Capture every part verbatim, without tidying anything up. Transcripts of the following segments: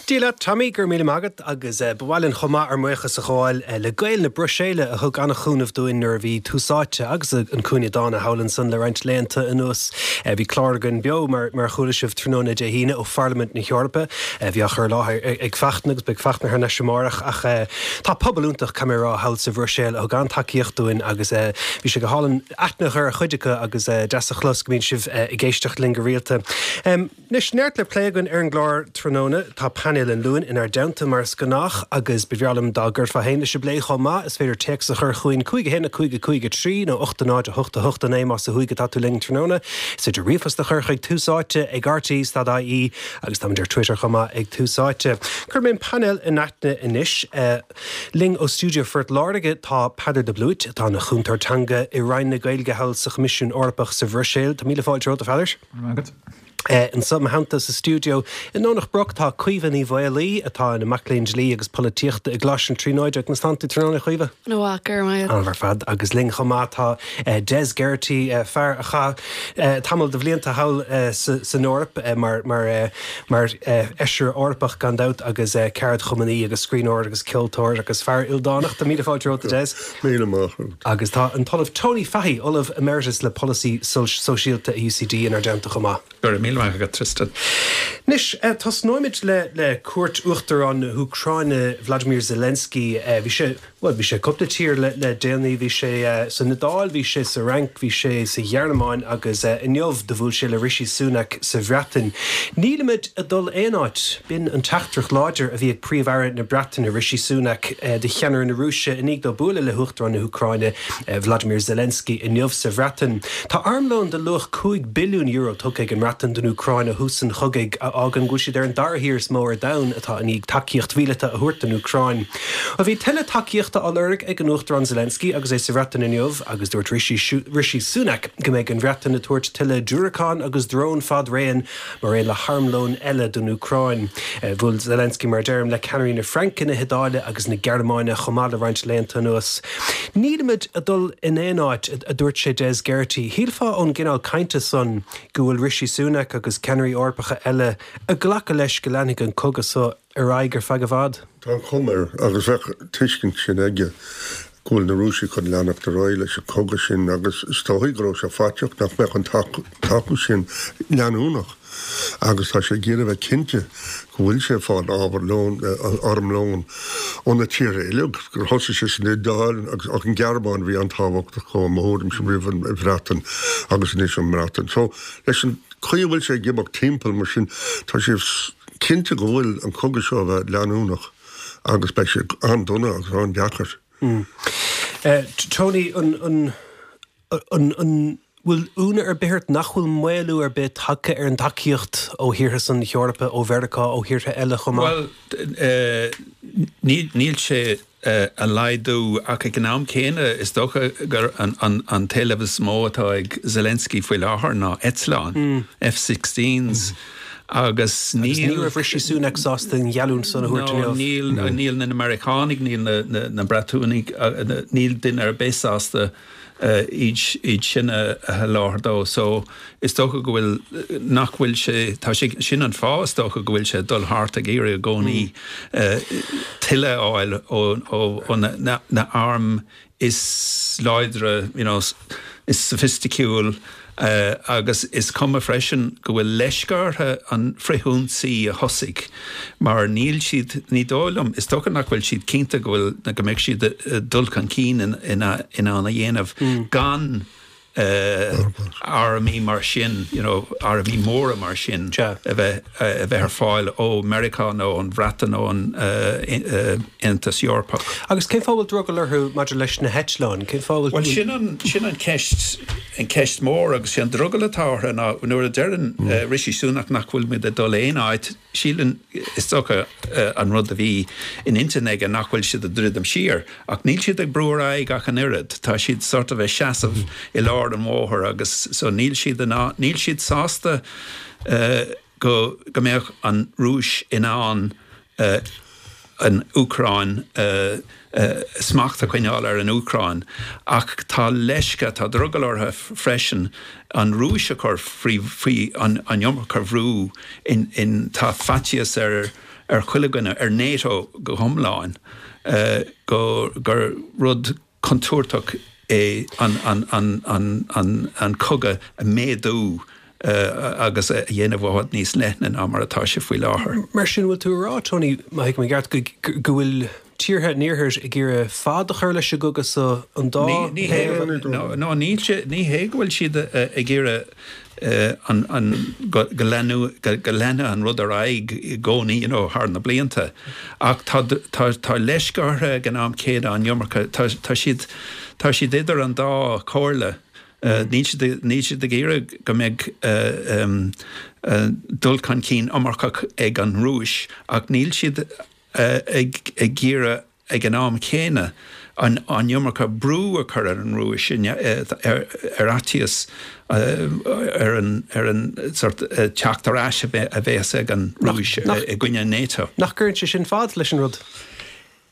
Dia leat Tommy go raibh míle maith agat agus eh, ba mhaith linn chomh maith ár mbuíochas a ghabháil eh, le Gaeil na Bruiséile a thug an-chúnamh dúinn nuair a bhí Tús Áite agus an Cúinne Dána thall ansan le roinnt laethanta anuas. Eh, bhí clár againn beo mar mar chuala sibh tráthnóna Dé hAoine ó Pharlaimint na hEorpa bhí á chur i láthair ag Fachtna agus beidh Fachtna thar n-ais amárach ach tá pobal iontach camerá thall sa Bhruiséil a thug an-tacaíocht dúinn agus bhí sé go hálainn aithne a chur ar chuid acu agus deas a chlos go mbíonn sibh ag éisteacht linn go rialta. Anois neart le plé againn ar an gclár tráthnóna tá painéal an Luain inár dteannta mar is gnách agus ba bhreá liom dá gcuirfeá féin leis an bplé chomh maith is féidir téacs a chur chugainn cúig a haon a cúig a cúig a trí nó ocht a náid a hocht a hocht a naoi más ó thuaidh atá tú linn tráthnóna. Is féidir ríomhphost a chur chuig tús áite ag RTÉ dot IE agus táimid ar Twitter chomh maith ag Tús Áite. Cuirfidh mé an painéal in aithne anois. Uh, linn ó stiúideo Phort Láirge tá Peadar de Blúit atá ina chúntóir teanga i Roinn na Gaeilge thall sa Choimisiún Eorpach sa Bhruiséil. Tá míle fáilte romhat a Pheadair. Uh, Anseo i mo theannta sa stiúideo i nDomhnach Broc tá Caoimhe Ní Mhaolaí atá ina mac léinn dlí agus polaitíochta i gColáiste na Tríonóide conas tánn tú tráthnóna Caoimhe? Nó gur An ar fad agus linn chomh maith tá uh, Des Geraghty uh, fear a chaith uh, tamall de bhlianta thall uh, san Eoraip uh, mar mar uh, mar uh, fheisire Eorpach gan dabht agus uh, ceardchumannaí agus scríbhneoir agus ceoltóir agus fear ildánach tá míle fáilte romhat Des. Míle maith. Agus tá an tOllamh Tony Fahy Ollamh Emeritus le polasaí sóisialta UCD inár dteannta chomh maith. Gur míle maith agat Tristan. Anois uh, tosnóimid le le cuairt Uachtarán na hÚcráine Vladimir Zelensky uh, bhí sé well bhí sé cúpla tír le, le déanaí bhí sé uh, san Iodáil, bhí sé sa Fhrainc, bhí sé sa Ghearmáin agus uh, inniu do bhuail sé le Rishi Sunak sa Bhreatain. Nílimid ag dul aon áit b'in an teachtaireacht láidir a bhí ag Príomh-Aire na Breataine Rishi Sunak uh, do cheannaire na Rúise i ndiaidh dó bualadh le hUachtarán na hÚcráine uh, Vladimir Zelensky inniu sa Bhreatain. Tá armlón de luach cúig billiún euro tugtha ag an mBreatain don Úcráin ó thús an chogaidh a fhágann go bhfuil siad ar an dara thír is mó ar domhan atá i ndiaidh tacaíocht mhíleata a thabhairt don Úcráin. A bhí tuilleadh tacaíochta á lorg ag an Uachtarán Zelensky agus é sa Bhreatain inniu agus dúirt Rishi, Rishi Sunak go mbeidh an Bhreatain ag tabhairt tuilleadh diúracán agus drón fad-raon mar aon le harmlón eile don Úcráin. Bhuail Zelensky mar deirim le ceannairí na Fraince na hIodáile agus na Gearmáine chomh maith le roinnt laethanta anuas. Nílimid ag dul in aon áit a dúirt sé Des Geraghty. Shílfeá ón gcineál cainte san go bhfuil Rishi Sunak agus ceannairí Eorpacha eile ag glacadh leis go leanfaidh an cogadh seo ar aghaidh ar feadh i bhfad. Tá cuma air agus bheadh tuiscint sin aige go bhfuil na Rúisigh chun leanacht ar aghaidh leis an chogadh sin agus is dóigh go raibh sé faiteach nach mbeadh an tacú sin leanúnach agus tá sé ag iarraidh bheith cinnte go bhfuil sé ag fáil ábhar lón armlón ó na tíortha eile gur thosaigh sé san Iodáil agus ach an Ghearmáin bhí an-tábhachtach chomh maith thuairimse roimh an Bhreatain agus anois an mBreatain. So leis an chaoi a bhfuil sé ag imeacht timpeall mar sin tá sé cinnte go bhfuil an cogadh seo bheith leanúnach agus beidh sé an-dona agus an-deacair. Mm. Uh, Tony an an an an bhfuil ionadh ar bith ort nach bhfuil maolú ar bith tagtha ar an tacaíocht ó thíortha san Eorpa ó Mheiriceá ó thíortha eile chomh maith? Well níl sé ag laghdú ach ag an am céanna is dócha gur an, an, an t-éileamh is mó atá ag Zelensky faoi láthair ná eitleáin mm. F sixteens. Mm. Agus níl raibh Rishi Sunak sásta an gheallúint san a thabhairt inniu. Níl níl na Meiriceánaigh níl na, na, na Breatanaigh níl duine ar bith sásta iad iad sin a sholáthar dó. So is dócha go bhfuil nach bhfuil sé tá sé sin an fáth is dócha go bhfuil sé dul thart ag iarraidh i gcónaí tuilleadh a fháil ó ó ó na, na, na arm is láidre you know, is soifisticiúil uh, agus is cuma freisin go bhfuil leisce orthu an frithionsaí a thosaigh mar níl siad ní dóigh liom is dócha nach bhfuil siad cinnte go bhfuil go mbeidh siad dul chun cinn in, in, in ann a dhéanamh mm. gan uh, armaí mar sin you know, armaí móra mar sin a bheith a bheith ar fáil ó Meiriceá nó an Bhreatain nó an uh, uh, Aontas Eorpach. Agus cén fáth a bhfuil drogall orthu maidir leis na heitleáin cén fáth Well sin an sin an ceist an ceist mór agus sin drogall atá orthu ná nuair a deireann mm. uh, Rishi Sunak nach bhfuil muid ag dul aon áit síleann is dócha uh, an rud a bhí in intinn aige nach bhfuil siad ag druidim siar ach níl siad ag brú ar aghaidh ach an oiread tá siad sort of ag seasamh mm. i lár an bhóthair agus so níl siad níl siad sásta uh, go go mbeadh an Rúis in ann uh, an Úcráin uh, uh, smacht a choinneáil ar an Úcráin ach tá leisce tá drogall orthu freisin an Rúis a chur faoi faoi an an iomarca brú in in tá faitíos ar ar chuile dhuine, ar NATO go hiomlán, go gur rud contúirteach é an an an an an an cogadh a mhéadú agus a dhéanamh i bhfad níos leithne ná mar atá sé faoi láthair. Mar sin, bhfuil tú ag rá, Tony, má thuigim i gceart, go bhfuil tíortha an Iarthair ag iarraidh fad a chur leis an gcogadh so an dá thaobh? No, níl sé, ní hé go bhfuil siad ag iarraidh an, an, go, go leanadh, go, go leanadh an rud ar aghaidh i gcónaí, you know, thar na blianta. Ach tá, tá, tá leisce orthu ag an am céanna an iomarca, tá, tá siad, tá siad idir an dá chomhairle. Níl siad, níl siad ag iarraidh go mbeidh dul chun cinn iomarcach ag an Rúis ach níl siad ag ag iarraidh ag an am céanna an an iomarca brú a chur ar an Rúis ar ar fhaitíos ar an ar an sort teacht ar ais a bheas ag an Rúis i gcoinne NATO. Nach gcuireann sé sin fad leis an rud?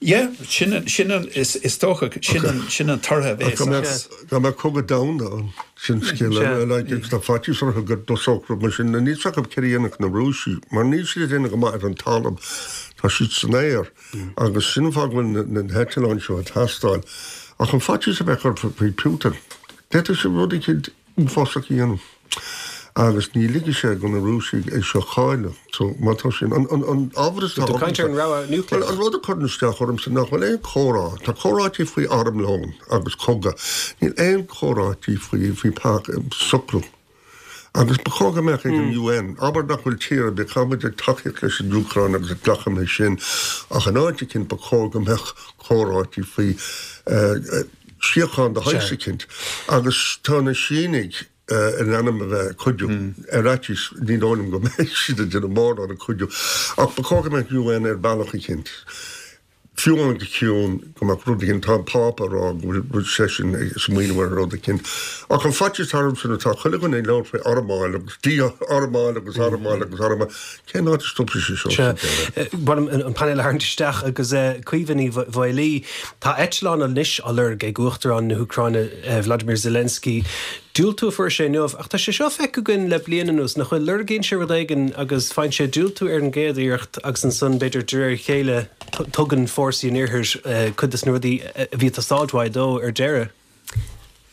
Yeah, sin sin an is is dócha sin an sin an toradh a bheas as. Dá mbeadh cogadh domhanda ann, sin scéal eile, like agus tá faitíos orthu go dtosódh rud mar sin. Níl 's acu céard a dhéanfadh na Rúisigh, mar níl siad ag déanamh go maith ar an talamh, tá siad san aer agus sin an fáth go bhfuil na heitleáin seo ag teastáil. Ach an faitíos a bheadh orthu faoi Putin, d'fhéadfadh sé rud eicínt uafásach a dhéanamh. Agus ní ligfidh sé do na Rúisigh é seo a chailleadh. So, má tá sin, an, an, an ábhar is atá Tú caint ar an rogha núicléach. Bhuel, an rud a chuireann isteach ormsa nach bhfuil aon chomhrá, tá comhráití faoi armlón agus cogadh, níl aon chomhráití faoi, faoi pac, socrú. Agus ba chóir go mbeadh ag an U N, abair nach bhfuil tír ar bith, caithfidh muid ag tacaíocht leis an Úcráin agus ag glacadh leis sin, ach in áit eicínt ba chóir go mbeadh comhráití faoi uh, síocháin de shaghas eicínt. Agus tá na Sínigh in ainm a bheith ag cuidiú. Ar fhaitíos, ní dóigh liom go mbeidh siad ag déanamh mórán ag cuidiú. Ach ba chóir go mbeadh U N ar bealach eicínt, fiú amháin go ciúin, go mbeadh rud eicínt, tá an Pápa ag rá go bhfuil seisean ag smaoineamh ar rud eicínt. Ach an faitíos atá ormsa ná tá chuile dhuine ag labhairt faoi armáil agus dí-armáil agus armáil agus armáil. Cén áit a stopfaidh sé seo sa deireadh? B'fhearr liom an painéal a tharraingt isteach agus Caoimhe Ní Mhaolaí, tá eitleán anois á lorg ag Uachtarán na hÚcráine Vladimir Zelensky. Diúltú a fuair sé inniu, ach tá sé seo feicthe againn le bliain anuas, nach bhfuil? Lorgaíonn sé rud éigin agus faigheann sé diúltú ar an gcéad iarracht agus ansan b'fhéidir de réir a chéile tugann fórsaí an Iarthair cuid de na rudaí a bhí ag teastáilt uaidh dó ar deireadh.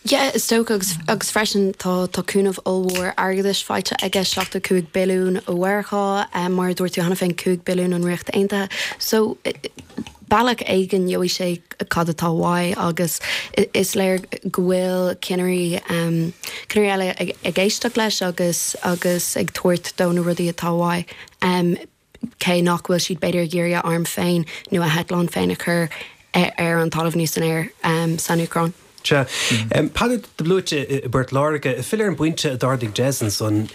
Yeah, is dócha agus, agus freisin tá tá cúnamh ollmhór airgeadais faighte aige, seachtó cúig billiún ó Mheiriceá, um, mar a dúirt tú cheana féin, cúig billiún ón Ríocht Aontaithe. So bealach éigin gheobhaidh sé cad atá uaidh agus is léir go bhfuil cinnirí um, cinnirí eile ag, ag éisteacht leis agus agus ag tabhairt dó na rudaí atá uaidh. Um, cé nach bhfuil siad b'fhéidir ag iarraidh a arm féin nó a heitleán féin a chur ar an talamh nó san aer um, san Úcráin. Sea. Peadar de Blúite i bPort Láirge, ag filleadh ar an bpointe a d'ardaigh Des ansan,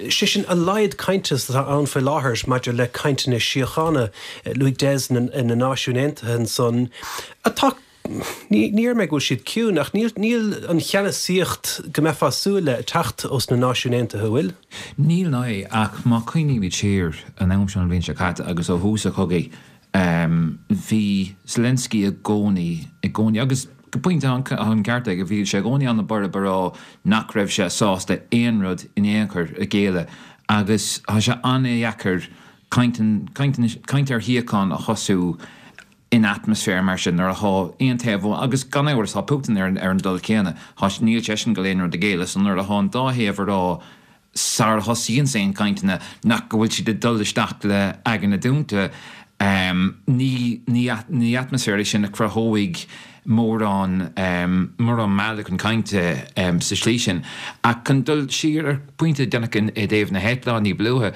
sé sin a laghad cainte atá ann faoi láthair maidir le cainteanna síochána, luaigh Des na Náisiúin Aontaithe ansan, atá, ní déarfaidh mé go bhfuil siad ciúin, ach níl níl an cheannasaíocht go mbeifeá ag súil le ag teacht ós na Náisiúin Aontaithe, an bhfuil? Níl ná ach má chuimhnímid siar an am seo an bhliain seo caite agus ó thús an chogaidh, bhí Zelensky i gcónaí, i gcónaí, agus go pointe an ceart aige, bhí sé i gcónaí an-bhorb ag rá nach raibh sé sásta aon rud in aon chor a ghéilleadh agus tá sé an-dheacair caint, caint, caint ar shíocháin a thosú in atmaisféar mar sin nuair atá aon taobh amháin, agus gan amhras tá Putin ar an dul céanna, tá, níl seisean ag dul aon rud a ghéilleadh, so nuair atá an dá thaobh ag rá sara thosaíonns aon chainteanna nach go bhfuil siad ag dul isteach le aghaidheanna dúnta. Ní ní atmaisféar é sin a chruthóidh mórán mórán mealladh chun cainte sa slí sin. Ach chun dul siar ar phointe déanach i dtaobh na heitleán ní ba luaithe,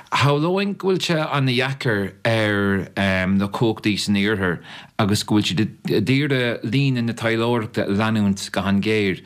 shamhlóinn go bhfuil sé an-dheacair ar na cumhachtaí san iarthar agus go bhfuil siad ag iarraidh líne na taidhleoireachta a leanúint go han-ghéar.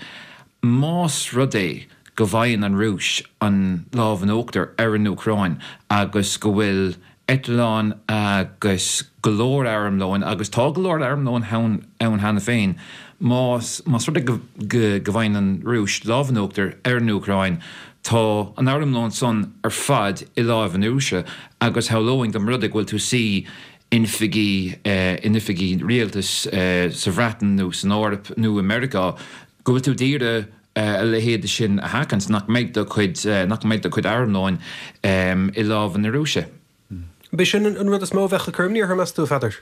Más rud é go bhfaigheann an Rúis an lámh in uachtar ar an Úcráin agus go bhfuil eitleáin agus go leor armlóin, agus tá go leor armlóin ann cheana féin, más más rud é go go bhfaigheann an Rúis lámh in uachtar ar an Úcráin, tá an armlón san ar fad i láimh na Rúise agus shamhlóinn dá mba rud é go bhfuil tú suí in oifigí in oifigí rialtais sa Bhreatain nó san Eoraip nó i Meiriceá go bhfuil tú d'iarraidh a leithéid sin a sheachaint, nach mbeidh do chuid, nach mbeidh do chuid armlóin i lámha na Rúise. B'é sin an rud is mó a bheadh ag cur imní orthu, meas tú, a Pheadair?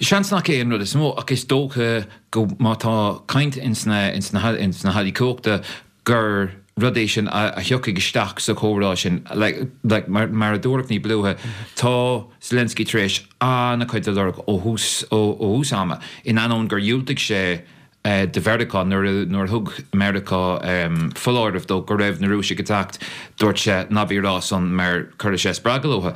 Seans nach é an rud is mó, ach is dócha go má tá caint ins na ins na ins na hallaí cumhachta gur rud é sin a thiocfaidh isteach sa chomhrá sin. Like like mar mar a dúradh ní ba luaithe, tá Zelensky tar éis an-chuid a lorg ó thús ó ó thús ama, in ainneoin gur dhiúltaigh sé do Mheiriceá nuair a nuair a thug Meiriceá foláireamh dó go raibh na Rúisigh ag teacht, dúirt sé ná bí ag rá san mar cuirfidh sé spreagadh leo.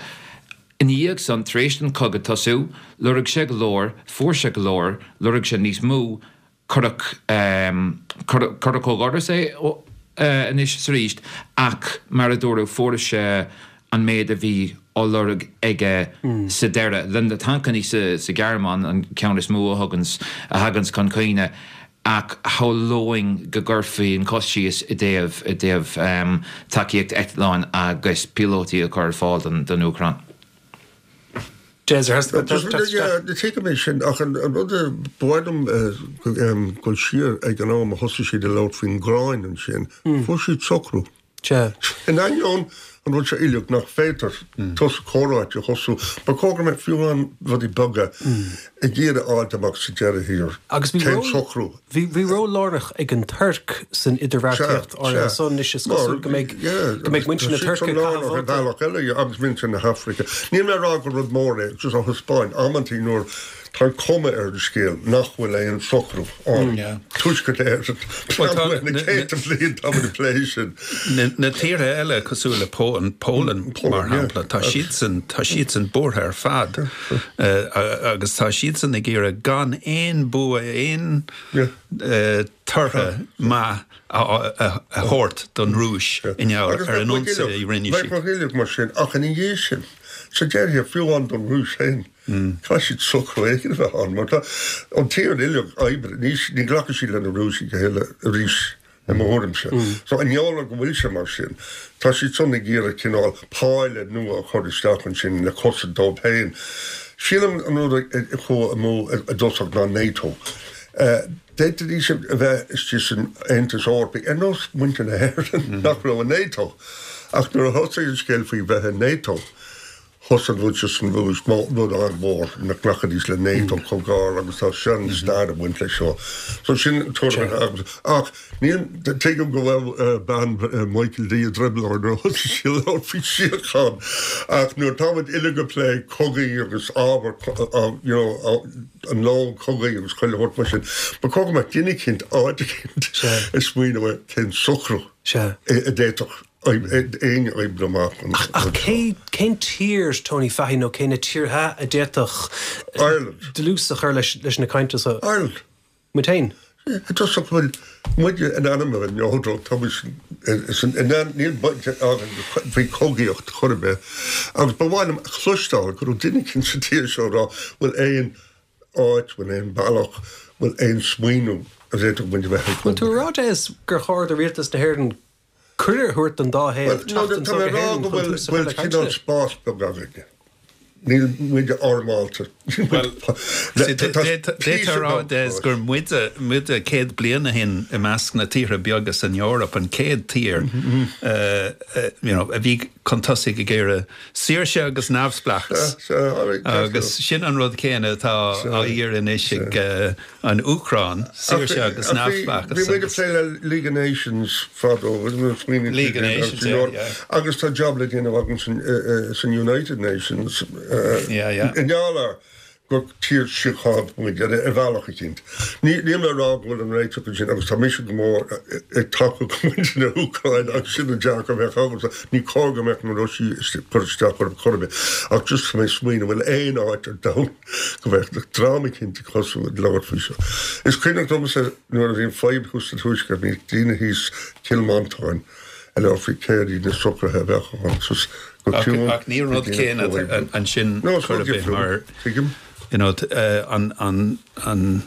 Ina dhiaidh san, tar éis don chogadh tosú, lorg sé go leor, fuair sé go leor, lorg sé níos mó, cuireadh cuireadh ó dhoras é anois is arís ach mar a dúradh fuair sé an méid a bhí á lorg aige sa deireadh. Le na tancannaí sa Ghearmáin an ceann is mó a thuganns, a thaganns chun cuimhne ach shamhlóinn go gcuirfí an cos síos i dtaobh, i dtaobh tacaíocht eitleáin agus píolótaí a chur ar fáil don, don Úcráin. Des, ar theastaigh uait teacht isteach? Tuigim é sin ach an rud a ba mhaith liom dul siar ag an am a thosaigh siad ag labhairt faoin nGrúin ansin, fuair siad socrú. Sea. In ainneoin an rud seo uilig nach féidir tús comhráite a thosú, ba chóir go mbeadh fiú amháin rudaí beaga ag iarraidh a fháilt amach sa deireadh thiar Agus bhí cén ról, socrú. bhí, bhí ról lárnach ag an Tuirc san idirbheartaíocht Sea, áirithe sea. san anois is Mar, cosúil go mbeidh, yeah, go mbeidh tá muintir na siad Tuirce san ag caitheamh lárnach ar vóta. bhealach eile agus muintir na hAfraice. Níl mé ag rá gur rud mór é, just á thaispeáint amantaí nuair Tá an chuma ar an scéal nach bhfuil aon socrú ann. Tuaisceart Éireann, na céadta bliain táimid ag plé sin. Na tíortha eile cosúil le Poland mar shampla, tá siadsan, tá siadsan buartha ar fad agus tá siadsan ag iarraidh gan aon bua, aon tortha maith a thabhairt don Rúis i ngeall ar an ionsaí a rinne siad. Bheadh uilig mar sin ach ina dhiaidh sin, sa deireadh, fiú amháin don Rúis féin, Caithfidh siad socrú éigin a bheith ann mar tá an tír uilig oibre, ní ní ghlacfaidh siad le na Rúisigh a thuilleadh arís i mo thuairimse. So i ngeall ar go bhfuil sé mar sin, tá siad san ag iarraidh cineál páile nua a chur isteach ansin le cosaint dóibh féin. Sílim an rud a chuaigh amú i dtosach ná NATO. D'fhéadfaidís a bheith istigh san Aontas Eorpaigh ar nós muintir na hÉireann nach raibh i NATO. Ach nuair a thosaigh an scéal faoi bheith i NATO, Thosaigh an rud seo san Rúis, rud an-mhór nach nglacfaidís le NATO chomh gar agus tá sean-stair ag baint leis seo. So sin an tuairim atá agam. Ach níl, tuigim go raibh bean Michael D i dtrioblóid nuair a thosaigh sí ag labhairt faoi síocháin ach nuair atá muid uilig ag plé cogaí agus ábhar you know an lón cogaidh agus chuile shórt mar sin, ba chóir go mbeadh duine eicínt, áit eicínt ag smaoineamh ar cén socrú a d'fhéadfadh éinne oibriú amach an Ach cé, cén tír, Tony Fahy, nó cé na tíortha a d'fhéadfadh Ireland. dlús a chur leis, leis na cainteanna seo? Ireland. Muid féin? I dtosach, bhuel, muide in ainm a bheith neodrach, tá muid san, in ainm, níl baint againn faoi chogaíocht chor ar bith, agus ba mhaith liom a chloisteáil go raibh duine eicínt sa tír seo ag rá, bhfuil aon áit, bhfuil aon bealach, bhfuil aon smaoineamh a bhféadfadh muid a bheith ag Bhfuil tú ag rá, Des, gur chóir do rialtas na hÉireann cuireadh a thabhairt don dá thaobh teacht anseo Tá mé go ag rá hÉirinn go chun bhfuil tús a chur bhfuil le cineál cainteanna? spás beag againne. Níl muid armálta. Bhuel, Tá d'fhéadfá píosa a rá, beag Des, spáis. gur muide, muide céad bliain ó shin i measc na tíortha beaga san Eoraip, an chéad tír you know, a bhí chun tosaigh ag iarraidh saoirse agus neamhspleáchas. Sea, sea, alright, Agus sin an rud céanna atá Sea, á iarraidh anois sea. ag an Úcráin, Ach saoirse agus bhí neamhspleáchas bhí muid ag agus. plé le League of Nations fadó, League of Nations, yeah, yeah. agus tá jab le déanamh againn san, san United Nations Yeah, yeah. i ngeall ar gur tír síochánta muid ar ar bhealach eicínt. Ní níl mé ag rá go bhfuil an réiteach ansin agus tá mise go mór ag tacú go muintir na hÚcráine agus sin an dearcadh a bheadh agamsa. Ní cóir go mbeadh na Rúisigh ag cur isteach orthu chor ar bith ach just tá mé ag smaoineamh bhfuil aon áit ar domhan go mbeadh dream eicínt ag tosú ag labhairt faoi seo. Is cuimhneach domsa nuair a bhí an fadhb thuas sa Tuaisceart bhí daoine thíos Cill Mhantáin ag labhairt faoi céard iad na socruithe a bheadh ann so go Ach, ciúin ach ní go rud dtí na céanna comhoibriú. ansin No, is chor rud ar bith difriúil, mar tuigim. you know, an, an, an,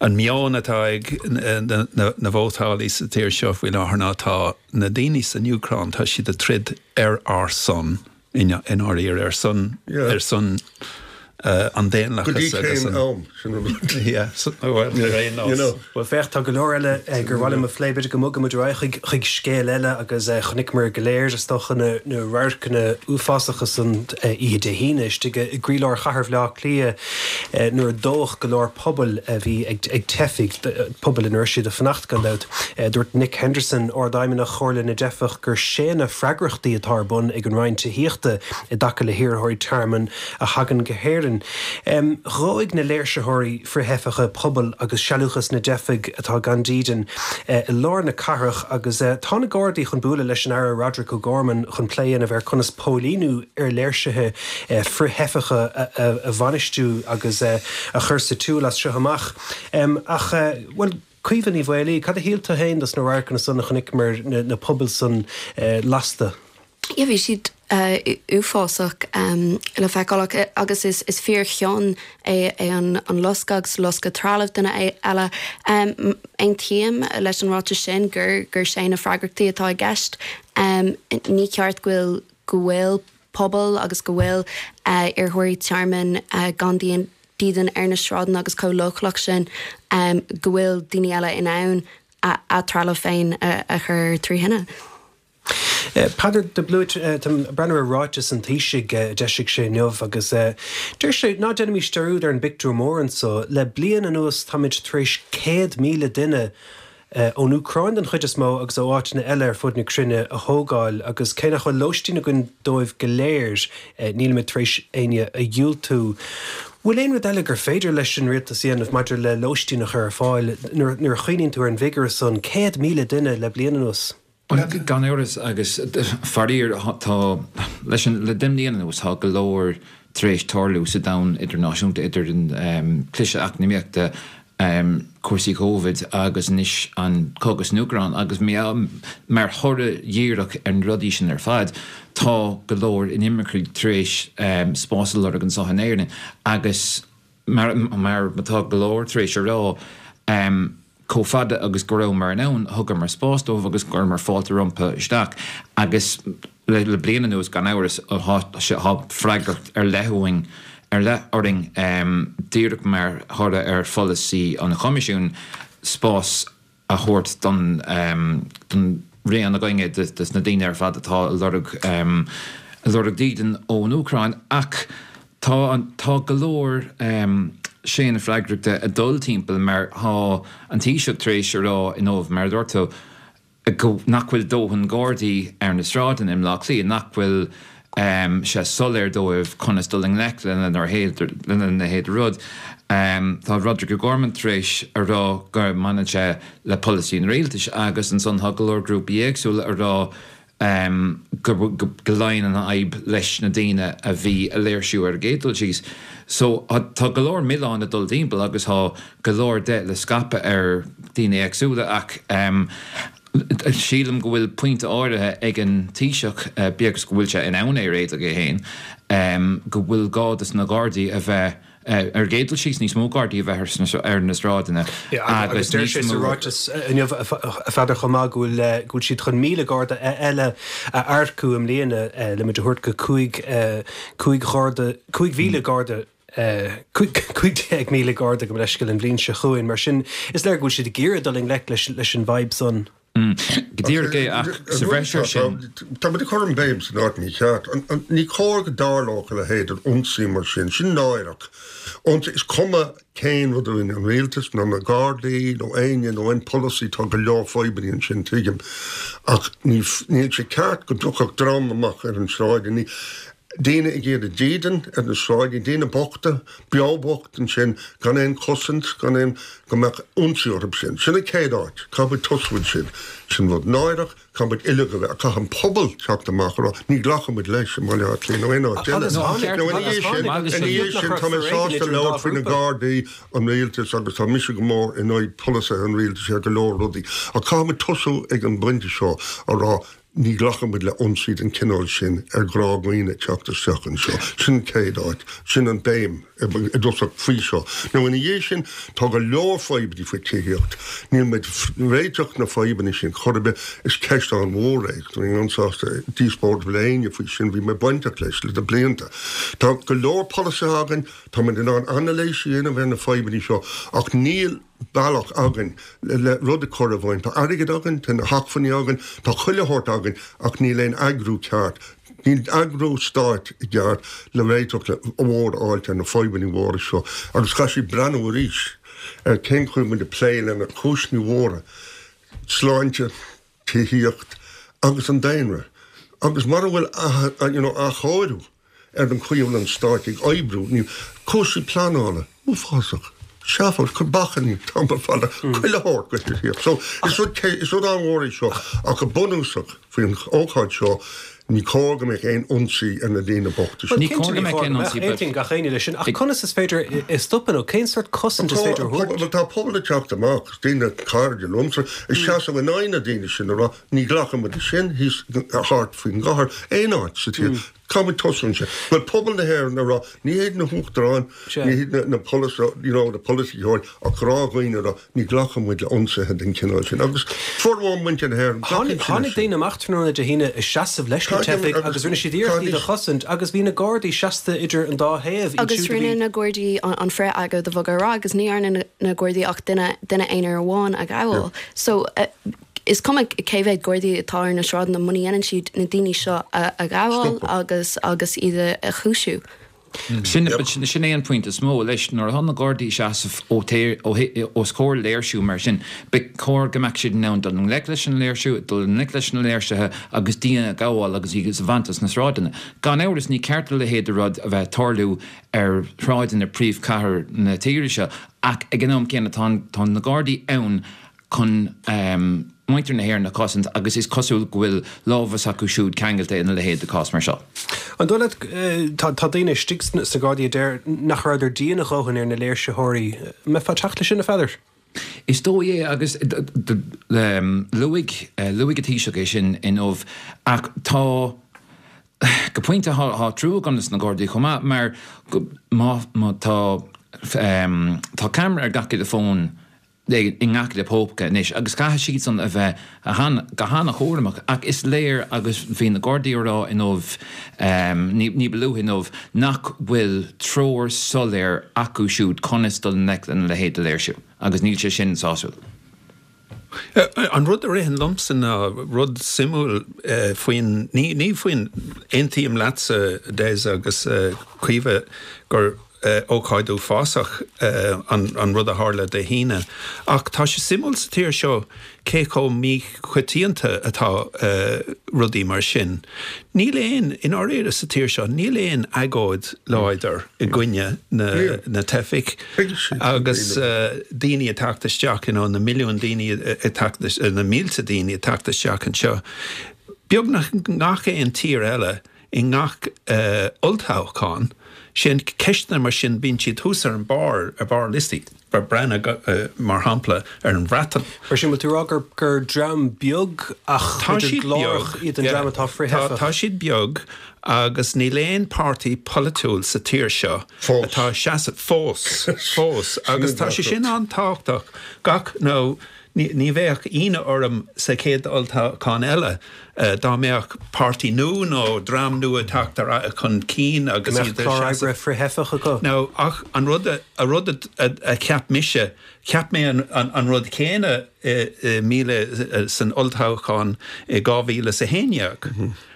an meon atá ag na, na, na vótálaí sa tír seo faoi láthair ná tá na daoine san Úcráin, tá siad ag troid ar ár son, i ndáiríre, ar son, Yeah. ar son an daonlathas agus an am sin an rud. Yeah, well, ar aon nós. You know. Bhuel féach, tá go leor eile gur mhaith liom a phlé, b'fhéidir go mbogfaidh muid ar aghaidh chuig scéal eile agus chonaiceamar go léir is dócha na na radharcanna uafásacha san oíche Dé hAoine istigh i gcroílár chathair Bhaile Átha Cliath nuair a dódh go leor puball a bhí ag ag teifigh, pubaill ina raibh siad ag fanacht gan dabht. Dúirt Nick Henderson, Ard-Fheidhmeannach Chomhairle na dTeifeach gur séanadh freagrachtaí atá ar bun ag an Roinn Tithíochta i dtaca le hiarrthóirí tearmainn a thagann go hÉirinn. Dhóigh na léirsitheoirí frith-theifeacha pubaill agus sealúchas na dteifigh atá gan dídean i lár na cathrach agus tá na Gardaí chun bualadh leis an Aire Roderic O'Gorman chun plé a dhéanamh ar conas póilíniú ar léirsithe frith-theifeacha a bhainistiú agus a chur sa tsiúl as seo amach. Ach, bhuel, Caoimhe Ní Mhaolaí, cad a shíl tú féin dos na radharcanna san a chonaiceamar na pubaill san lasta? Yeah, bhí siad uafásach le feiceáil agus is is fíorchion é é an an loscadh agus loscadh trealamh duine eile. Aontaím leis an ráiteas sin gur gur séanadh freagrachtaí atá i gceist. Ní ceart go bhfuil go bhfuil pobal agus go bhfuil iarrthóirí tearmainn gan dídean ar na sráideanna agus chomh leochaileach sin go bhfuil daoine eile in ann a dtrealamh féin a chur trí thine. Peadar de Blúit, táim ag breathnú ar ráiteas an Taoisigh a d'eisigh sé inniu agus deir sé, ná déanaimis dearúd ar an bpictiúr mór anseo, le bliain anuas táimid tar éis céad míle duine ón Úcráin den chuid is mó agus ó áiteanna eile ar fud na cruinne a thógáil agus cé nach bhfuil lóistín againn dóibh go léir, nílimid tar éis éinne a dhiúltú. Bhfuil aon rud eile gur féidir leis an rialtas a dhéanamh maidir le lóistín a chur ar fáil nuair a chuimhníonn tú ar an bhfigiúr san, céad míle duine le bliain anuas? Bhuel, gan amhras agus faraor tá, leis an, le deich mbliana anuas tá go leor tar éis tarlú sa domhan idirnáisiúnta, idir an cliseadh eacnamaíochta, cúrsaí Covid agus anois an cogadh san Úcráin agus mar thoradh dhíreach ar na rudaí sin ar fad tá go leor inimircigh tar éis spás a lorg anseo in Éirinn agus mar mar atá go leor tar éis a rá chomh fada agus go rabhamar in ann thugamar spás dóibh agus chuireamar fáilte rompu isteach agus le bliain anuas gan amhras tá freagracht ar leith uainn ar leith orainn díreach mar thoradh ar pholasaí an Choimisiúin spás a thabhairt don don raon againne de na daoine ar fad atá ag lorg ag lorg dídean ón Úcráin ach tá tá go leor séanadh freagrachta ag dul timpeall mar tá an Taoiseach tar éis a rá inniu mar a dúirt tú go nach bhfuil dóthain Gardaí ar na sráideanna i mBleá Cliath, nach bhfuil sé soiléir dóibh conas dul i ngleic lena leithéid de rud. Tá Roderic O'Gorman tar éis a rá go mbaineann sé le polasaí an rialtais agus ansan tá go leor grúpaí éagsúla a rá go go luíonn an fhadhb leis na daoine a bhí a léirsiú ar an gcéad dul síos. So tá go leor milleán ag dul timpeall agus tá go leor de le scaipeadh ar daoine éagsúla ach sílim go bhfuil pointe áirithe ag an Taoiseach, bíodh is go bhfuil sé in ann é a réiteach é féin, go bhfuil gá dos na Gardaí a bheith ar an gcéad dul síos, níos mó Gardaí a bheith ar na sráideanna agus deir sé sa ráiteas inniu, a Pheadair, chomh maith go bhfuil go bhfuil siad chun míle Garda eile a earcú i mbliana le muid a thabhairt go cúig cúig gharda cúig mhíle Garda cúig déag míle Garda gabh mo leithscéal an bhliain seo chugainn. Mar sin, is léir go bhfuil siad ag iarraidh dul i ngleic leis an bhfadhb san. Go díreach é, ach sa bhreis air sin. Tá muid ag cur an bhéim san áit mícheart. Ní cóir go dtarlódh a leithéid d'ionsaí mar sin. Sin náireach. Is cuma cén rud a rinne an rialtas nó na Gardaí nó éinne nó aon pholasaí, tá go leor fadhbanna ansin, tuigim. Ach níl sé ceart go dtiocfadh dream amach ar an sráid. Daoine ag iarraidh dídean ar na sráideanna, daoine bochta, beo bocht ansin, gan aon chosaint, gan aon, go mbeadh ionsaí orthu sin. Sin an chéad áit. Caithfidh muid tosú ansin. Sin rud náireach, caithfidh muid uilig a bheith, caithfidh an pobal teacht amach a rá, ní ghlacfaidh muid leis i mBaile Átha Cliath nó aon áit eile. Nó ina dhiaidh sin, ina dhiaidh sin, tá mé sásta labhairt faoi na Gardaí, an rialtas agus tá mise go mór in aghaidh polasaithe an rialtais ar go leor rudaí. Ach caithfidh muid tosú ag an bpointe seo a rá, Ní ghlacann muid le ionsaí den chineál sin ar ghnáthdhaoine teacht isteach anseo. Sin an chéad áit. Sin an béim i dtosach faoi seo. Now ina dhiaidh sin, tá go leor fadhbanna faoi tithíocht. Níl muid réiteach na fadhbanna sin chor ar bith. Is ceist an-mhór é. Tá mé an-sásta díospóireacht le éinne faoi sin. Bhí mé bainteach leis le blianta. Tá go leor polasaithe againn, tá muid in ann anailís a dhéanamh ar na fadhbanna seo ach níl bealach againn le rud a chur i bhfeidhm. Tá airgead againn, tá na hacmhainní againn, tá chuile shórt againn ach níl aon eagrú ceart. Níl eagrú stáit i gceart le réiteach le mhór a fháilt ar na fadhbanna mhóra seo agus caithfidh siad breathnú arís ar cén chaoi muid ag plé lena cúiseanna mhóra, sláinte, tithíocht agus an daonra. Agus mura bhfuil you know, athchóiriú ar an chaoi a bhfuil an stát ag oibriú, ní cúrsaí pleanála, uafásach. Seafóid, cur bacainní, tamall fada, chuile shórt go tithíocht. So is rud is rud an-mhór é seo ach go bunúsach faoin ócáid seo ní cóir go mbeadh aon ionsaí ar na daoine bochta sin. Ní cóir go mbeadh aon ionsaí, but Aontaíonn gach éinne leis sin, ach conas is féidir é a stopadh nó cén sórt cosaint is féidir a thabhairt? Bhuel tá pobal ag teacht amach, daoine cairde liomsa, ag seasamh in aghaidh na daoine sin ag rá ní ghlacann muid leis sin thíos thart faoin gcathair, aon áit sa tír. Caithfidh muid tosú ansin. Bhuel pobal na hÉireann ag rá ní hiad na huachtaráin, ní hiad na polasaithe, you know, na polaiteoirí ach gnáthdhaoine ag rá ní ghlacann muid le ionsaithe den chineál sin. Agus formhór muintir na hÉireann, glacann siad leis Tháinig sin. daoine amach tráthnóna Dé hAoine ag seasamh leis na teifigh agus rinne siad iarracht iad a chosaint agus bhí na Gardaí seasta idir an dá thaobh, iad Agus siúd a rinne bhí. na Gardaí an frith-agóid a bhogadh ar aghaidh agus ní dhearna na Gardaí ach duine duine aonair amháin a ghabháil. So is cuma cé mhéad Gardaí atá ar na sráideanna muna dhéanann siad na daoine seo a ghabháil agus agus iad a chúisiú. Sin sin é an pointe is mó leis nuair atá na Gardaí seasamh os comhair léirsiú mar sin, ba chóir go mbeadh siad in ann dul i ngleic leis an léirsiú, dul i ngleic leis na léirsithe agus daoine a ghabháil agus iad a bhaint as na sráideanna. Gan amhras ní ceart a leithéid de rud a bheith ag tarlú ar shráideanna príomhchathair na tíre seo ach ag an am céanna tá tá na Gardaí ann chun muintir na hÉireann a chosaint agus is cosúil go bhfuil lámha s'acu siúd ceangailte ina leithéid de chás mar seo. An dóigh leat, tá daoine istigh sna Gardaí a deir nach rabhadar dian a dhóthain ar na léirsitheoirí. An mbeifeá ag teacht leis sin, a Pheadair? Is dóigh é agus luaigh luaigh an Taoiseach é sin inniu ach tá go pointe tá trua agam dos na Gardaí chomh maith mar má má tá tá ceamara ar gach uile fón i ngach uile póca anois agus caithfidh siadsan a bheith go han-chúramach ach is léir agus bhí na Gardaí á rá inniu ní ba luaithe inniu nach bhfuil treoir soiléir acu siúd conas dul i ngleic lena leithéid de léirsiú agus níl sé sin sásúil. An rud a ritheann liomsa ná rud suimiúil faoin, ní ní faoin, aontaím leatsa Des agus Caoimhe gur ócáid uafásach an rud a tharla Dé hAoine. Ach tá sé suimiúil sa tír seo cé chomh míchoitianta atá rudaí mar sin. Níl aon, i ndáiríre sa tír seo, níl aon agóid láidir i gcoinne na teifigh agus daoine ag teacht isteach, you know, na milliúin daoine ag teacht, na mílte daoine ag teacht isteach anseo. Beagnach ngach aon tír eile, i ngach olltoghchán, sin ceisteanna mar sin, bíonn siad thuas ar an barr, ar barr liostaí. Breathnaigh, mar shampla, ar an Bhreatain. Mar sin, bhfuil tú ag rá gur gur dream beag ach b'fhéidir glórach iad an dream atá frith-theifeach? Tá siad beag agus níl aon páirtí polaitiúil sa tír seo atá ag seasamh, fós, fós, agus tá sé sin an-tábhachtach, gach, nó Ní bheadh ionadh orm sa chéad olltoghchán eile dá mbeadh páirtí nua nó dream nua ag teacht chun cinn agus iad ag seasamh. Go mbeadh clár oibre frith-theifeach acu. Now, ach an rud a rud a cheap mise, cheap mé an rud céanna i míle san olltoghchán i dhá mhíle is a haon dhéag.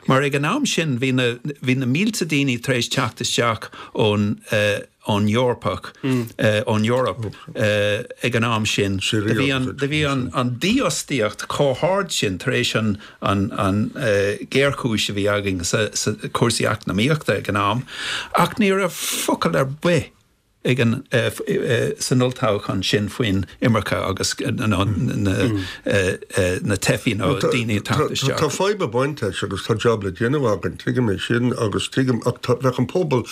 Mar ag an am sin bhí na bhí na mílte daoine tar éis teacht isteach ón ón Eorpach, ón Eoraip ag an am sin. Do bhí an, do bhí an, an dífhostaíocht chomh hard sin tar éis an, an, an ghéarchúis a bhí againn sa, sa cúrsaí eacnamaíochta ag an am, ach ní raibh focal ar bith ag an, san olltoghchán sin faoin imirce agus na, na, na teifigh nó daoine ag teacht isteach. Tá fadhb ag baint leis agus tá jab le déanamh againn, tuigim é sin agus tuigim ach tá, bheadh an pobal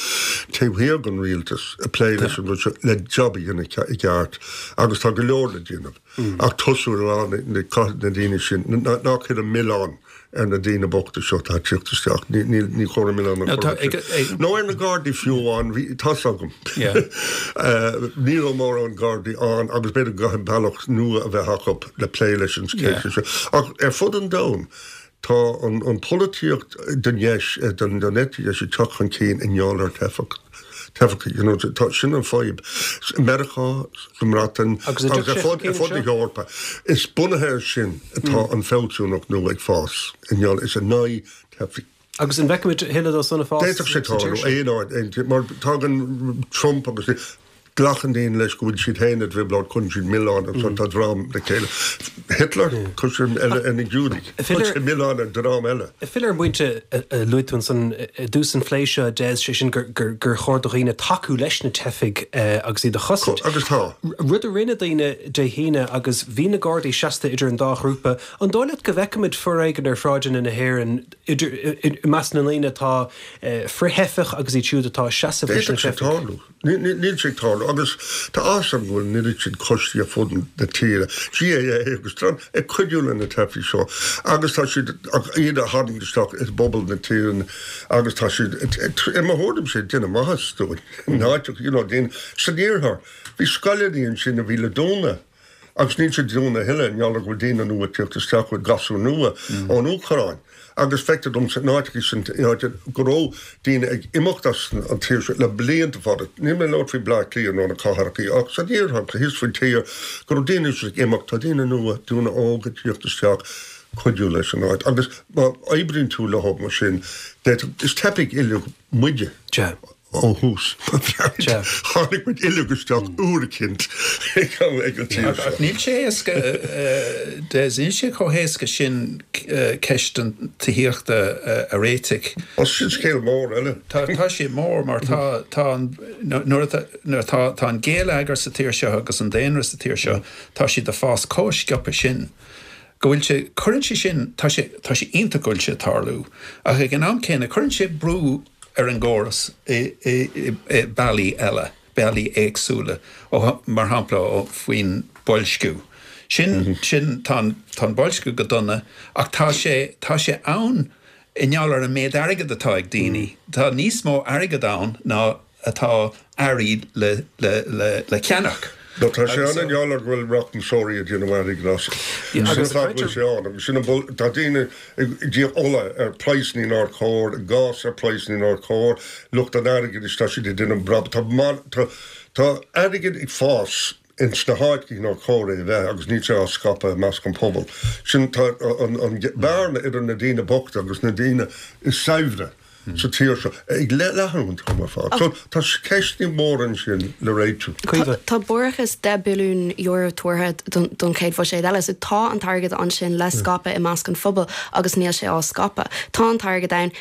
taobh thiar den rialtas ag plé leis an rud seo le jab a dhéanamh i gceart agus tá go leor le déanamh ach tosú ar na, na daoine sin, ná cuir an milleán ar na daoine bochta seo atá ag tíocht isteach. Ní, ní, ní chuireann milleán No, ar tá, chor ag, ar ag, Nó ar na Gardaí fiú amháin, bhí, tá's agam. Yeah. Uh, ní raibh mórán Gardaí ann agus b'fhéidir go gcaithfidh bealach nua a bheith acu le plé leis an Yeah. cheist seo. Ach ar fud an domhain, tá an, an polaitíocht den dheis, eh, den, den eite dheis ag teacht chun cinn i ngeall ar teifeach. Teifeach, you know, tá sin an fadhb. Meiriceá, sa mBreatain, Agus a agus dtiocfaidh ar fud, sé ar fud na hEorpa. Is bunaithe air sin atá an fealsúnacht nua ag fás. I ngeall is in aghaidh teifigh. Agus an bhfeicfimid tuilleadh dó san ag fás D'fhéadfadh sé sa tír tarlú seo? aon áit, aon tír, mar tagann Trump agus glacann daoine leis go bhfuil siad féin i dtrioblóid, cuireann siad milleán agus tá dream le chéile. Hitler, chuir sé eile ar na Giúdaigh, chuir sé milleán ar dream eile. Filleadh ar an bpointe a luaigh tú ansan i dtús an phlé seo, Des, sé sin gur, gur, gur chóir do dhaoine tacú leis na teifigh eh, agus iad a chosaint. Agus tá. Rud a rinne daoine Dé hAoine agus bhí na Gardaí seasta idir an dá ghrúpa, an dóigh leat go bhfeicfimid foréigean ar shráideanna na hÉireann idir i i measc na ndaoine atá eh, frith-theifeach agus iad siúd atá seasamh leis na D'fhéadfadh sé teifigh? tarlú. Ní- ní- Níl sé ag tarlú agus tá fhios agam go bhfuil an oiread sin coistí ar fud na tíre, GAA agus trán ag cuidiú le na teifigh seo agus tá siad ach iad a tharraingt isteach i bpobal na tíre agus tá siad i mo thuairimse ag déanamh maitheas dúinn. In áiteacha, you know, daoine san iarthar. Bhí scoileanna ansin a bhí le dúnadh. Agus níl siad dúnadh a thuilleadh, i ngeall go bhfuil daoine nua ag tíocht isteach with gasúir nua ón Úcráin. Agus feictear dom san áiteacha sin áite go raibh daoine ag imeacht as an tír seo le blianta fada. Níl mé ag labhairt faoi Bleá Cliath nó na cathracha ach san iarthar thíos faoin tír go raibh daoine ag imeacht, tá daoine nua, daoine óga ag tíocht isteach cuidiú leis an áit. Agus má oibríonn tú leo mar sin, d'fhéadfadh- is teifigh uilig muide. Sea. Ó thús. Sea. Tháinig muid uilig isteach uair eicínt ag ag an tír Ach seo. níl sé éasca eh, Des, níl sé chomh héasca sin eh, ceist an tithíochta eh, a réiteach. Ó sin scéal mór eile. Tá tá sé mór mar tá tá an nuair atá nuair atá tá an géilleagar sa tír seo agus an daonra sa tír seo, tá siad ag fás chomh sciobtha sin. Go bhfuil sé cuireann sé sin tá sé tá sé iontach go bhfuil sé ag tarlú. Ach ag an am céanna cuireann sé brú ar an gcóras i, i, i, i bealaí eile, bealaí éagsúla, ó, mar shampla ó faoin boilsciú. Sin sin tá an tá an boilsciú go dona ach tá sé tá sé ann i ngeall ar an méid airgead atá ag daoine. Tá níos mó airgead ann ná atá earraí le le le le ceannach. No, tá sé ann i ngeall ar go bhfuil rachmasóirí ag déanamh airgid as. Yeah, Sin agus an fáth go bhfuil sé ann, agus sin an bul- tá daoine ag díol ola ar praghsanna nár chóir, gás ar praghsanna nár chóir, lucht an airgid is tá siad ag déanamh brabach. Tá mar- tá tá airgead ag fás ins na háiteacha nár chóir é a bheith agus níl sé á scaipeadh i measc an pobal. Sin tá an, an bearna idir na daoine bochta agus na daoine is saibhre sa tír seo ag le leathnú an t-am ar fad. So tá ceisteanna móra ansin le réitiú. Caoimhe. Tá barrachas deich billiún euro tuartha don, don chéad bhuiséad eile, so tá an t-airgead ansin le scaipeadh i measc an phobail agus níl sé á scaipeadh. Tá an t-airgead ann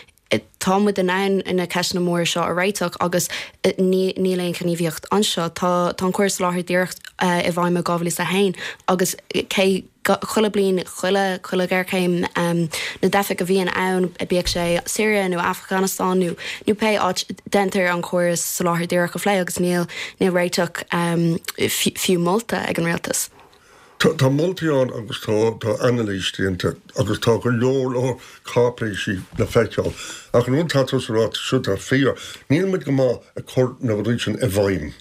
tá muid in ann na ceisteanna móra seo a réiteach agus ní níl aon ghníomhaíocht anseo. Tá tá an córas soláthair díreach i bhfeidhm ó dhá mhíle is a haon agus cé chuile bliain chuile chuile ghéarchéim um, na dteifeach a bhíonn ann bíodh sé Syria nó Afghanistan nó nó pé áit déantar an córas soláthair díreach a phlé agus níl níl réiteach um, fiú molta ag an rialtas. Tá tá moltaí ann agus tá tá anailís déanta agus tá go leor leor cáipéisí le feiceáil. Ach an rud atá tú a rá seo tá fíor, níl muid go maith ag cur na rudaí sin i bhfeidhm.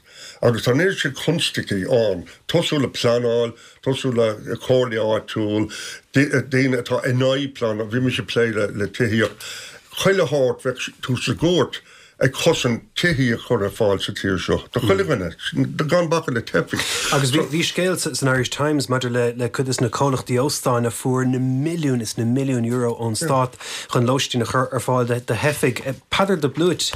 Agus tá an oiread sin constaicí ann, tosú le pleanáil, tosú le comhairle áitiúil, daoine atá in aghaidh pleanáil, bhí mise ag plé le le tithíocht. Chuile shórt bheadh tú sa gcúirt ag cosaint tithí a chur ar fáil sa tír seo. Do chuile dhuine, gan bacadh le teifigh. Agus bhí bhí scéal san Irish Times maidir le le cuid de na comhlachtaí óstáin a fuair na milliúin is na milliúin euro ón stát chun lóistín a chur ar fáil de de theifigh. Peadar de Blúit,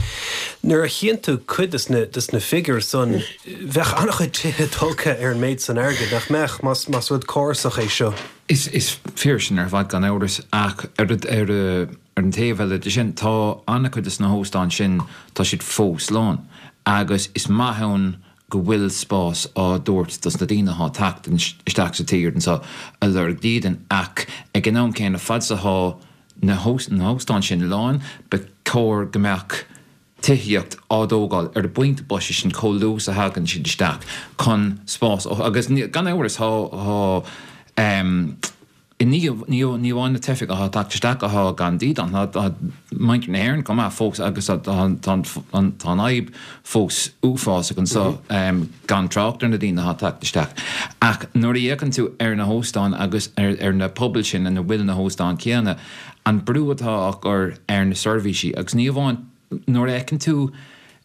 nuair a chíonn tú cuid de na de na figiúir san bheadh an-chuid tithe tógtha ar an méid san airgead nach mbeadh más más rud córasach é seo. Is is fíor sin ar fad gan amhras ach ar ar ar an taobh eile de sin tá an-chuid de na hóstáin sin tá siad fós lán agus is maith ann go bhfuil spás á dtabhairt dos na daoine atá ag teacht isteach sa tír anseo ag lorg dídean ach ag an am céanna fad is atá na na hóstáin sin lán ba chóir go mbeadh tithíocht á dtógáil ar an bpointe boise sin chomh luath is a thagann siad isteach chun spás agus gan amhras tá tá um, Ní ní amháin na teifigh atá ag teacht isteach atá gan dídean, tá muintir na hÉireann chomh maith fós agus tá an fhadhb fós uafásach anseo gan trácht ar na daoine atá ag teacht isteach. Ach nuair a fhéachann tú ar na hóstáin agus ar na pobail sin ina bhfuil na hóstáin céanna, an brú atá á chur ar na seirbhísí agus ní amháin nuair a fheiceann tú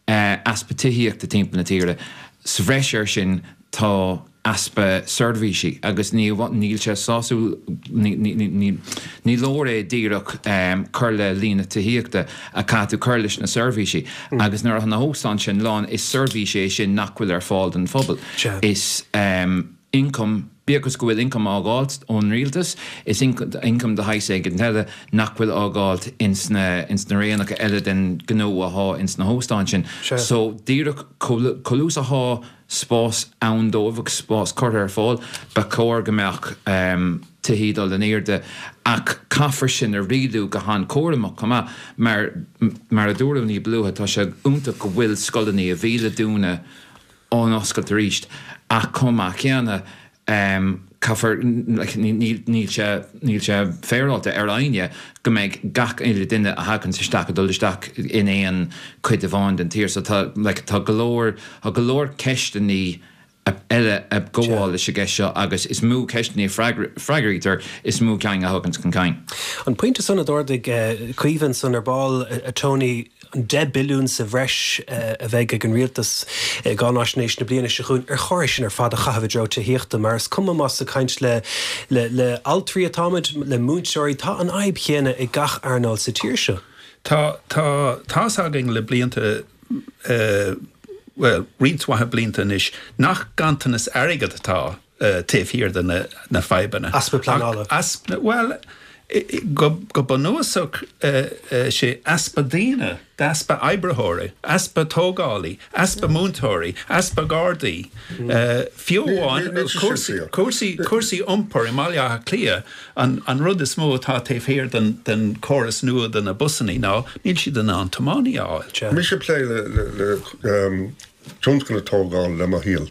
easpa tithíochta timpeall na tíre, sa bhreis air sin tá easpa seirbhísí agus ní níl sé sásúil ní leor é díreach cur le líon na tithíochta ach caithfidh tú cur leis na seirbhísí agus nuair atá na hóstáin sin lán is seirbhís é sin nach bhfuil ar fáil don phobal. Is ioncam, bíodh is go bhfuil ioncam á fháilt ón rialtas, is ioncam de shaghas éigin eile nach bhfuil á fháilt ins na ins na raonnacha eile den ghnó athá ins na hóstáin sin. So díreach chomh luath is athá spás ann dóibh agus spás curtha ar fáil, ba chóir go mbeadh tithí ag dul in airde ach caithfear sin a rialú go han-chúramach chomh maith mar mar a dúradh ní ba luaithe tá sé iontach go bhfuil scoileanna a bhí le dúnadh á n-oscailt arís ach chomh maith céanna caithfear, níl sé, níl sé féaráilte ar éinne go mbeidh gach uile duine a thaganns isteach ag dul isteach in aon chuid amháin den tír. So tá, like, tá go leor, tá go leor ceisteannaí eile ag gabháil leis an gceist seo agus is mó ceisteannaí a freagraítear, is mó ceann a thaganns chun cinn. An pointe san a d'ardaigh Caoimhe ansan ar ball, a Tony, an deich billiún sa bhreis a bheidh ag an rialtas i gcáináisnéis na bliana seo chugainn, ar chóir é sin ar fad a chaitheamh i dtreo tithíochta? Mar is cuma más ag caint le le altraí atáimid, le múinteoirí, tá an fhadhb chéanna ag gach earnáil sa tír seo. Tá, tá, tá's againn le blianta, bhuel, roinnt mhaith blianta anois, nach ganntanas airgid atá taobh thiar de na fadhbanna. Easpa pleanála. Easpa, bhuel, go bunúsach sé easpa daoine, easpa oibritheoirí, easpa tógálaí, easpa múinteoirí, easpa gardaí, fiú amháin cúrsaí cúrsaí iompair i mBaile Átha Cliath, an rud is mó atá taobh thiar den chóras nua de na busannaí ná níl siad in ann tiománaí a fháil. Mise ag plé le tionscal tógála le mo shaol.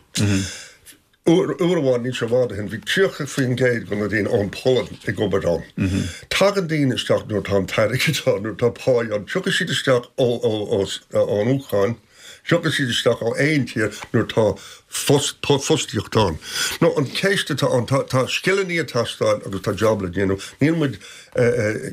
Uair amháin, níl sé i bhfad ó shin, bhí tríocha faoin gcéad de na daoine ón Pholainn ag obair ann. Tagann daoine isteach nuair atá an t-airgead ann, nuair atá pá ann. Tiocfaidh siad isteach ón Úcráin, tiocfaidh siad isteach ó aon tír nuair atá fostaíocht ann. Nó an cheist atá ann, tá scileanna ag teastáil agus tá jab le déanamh. Níl muid,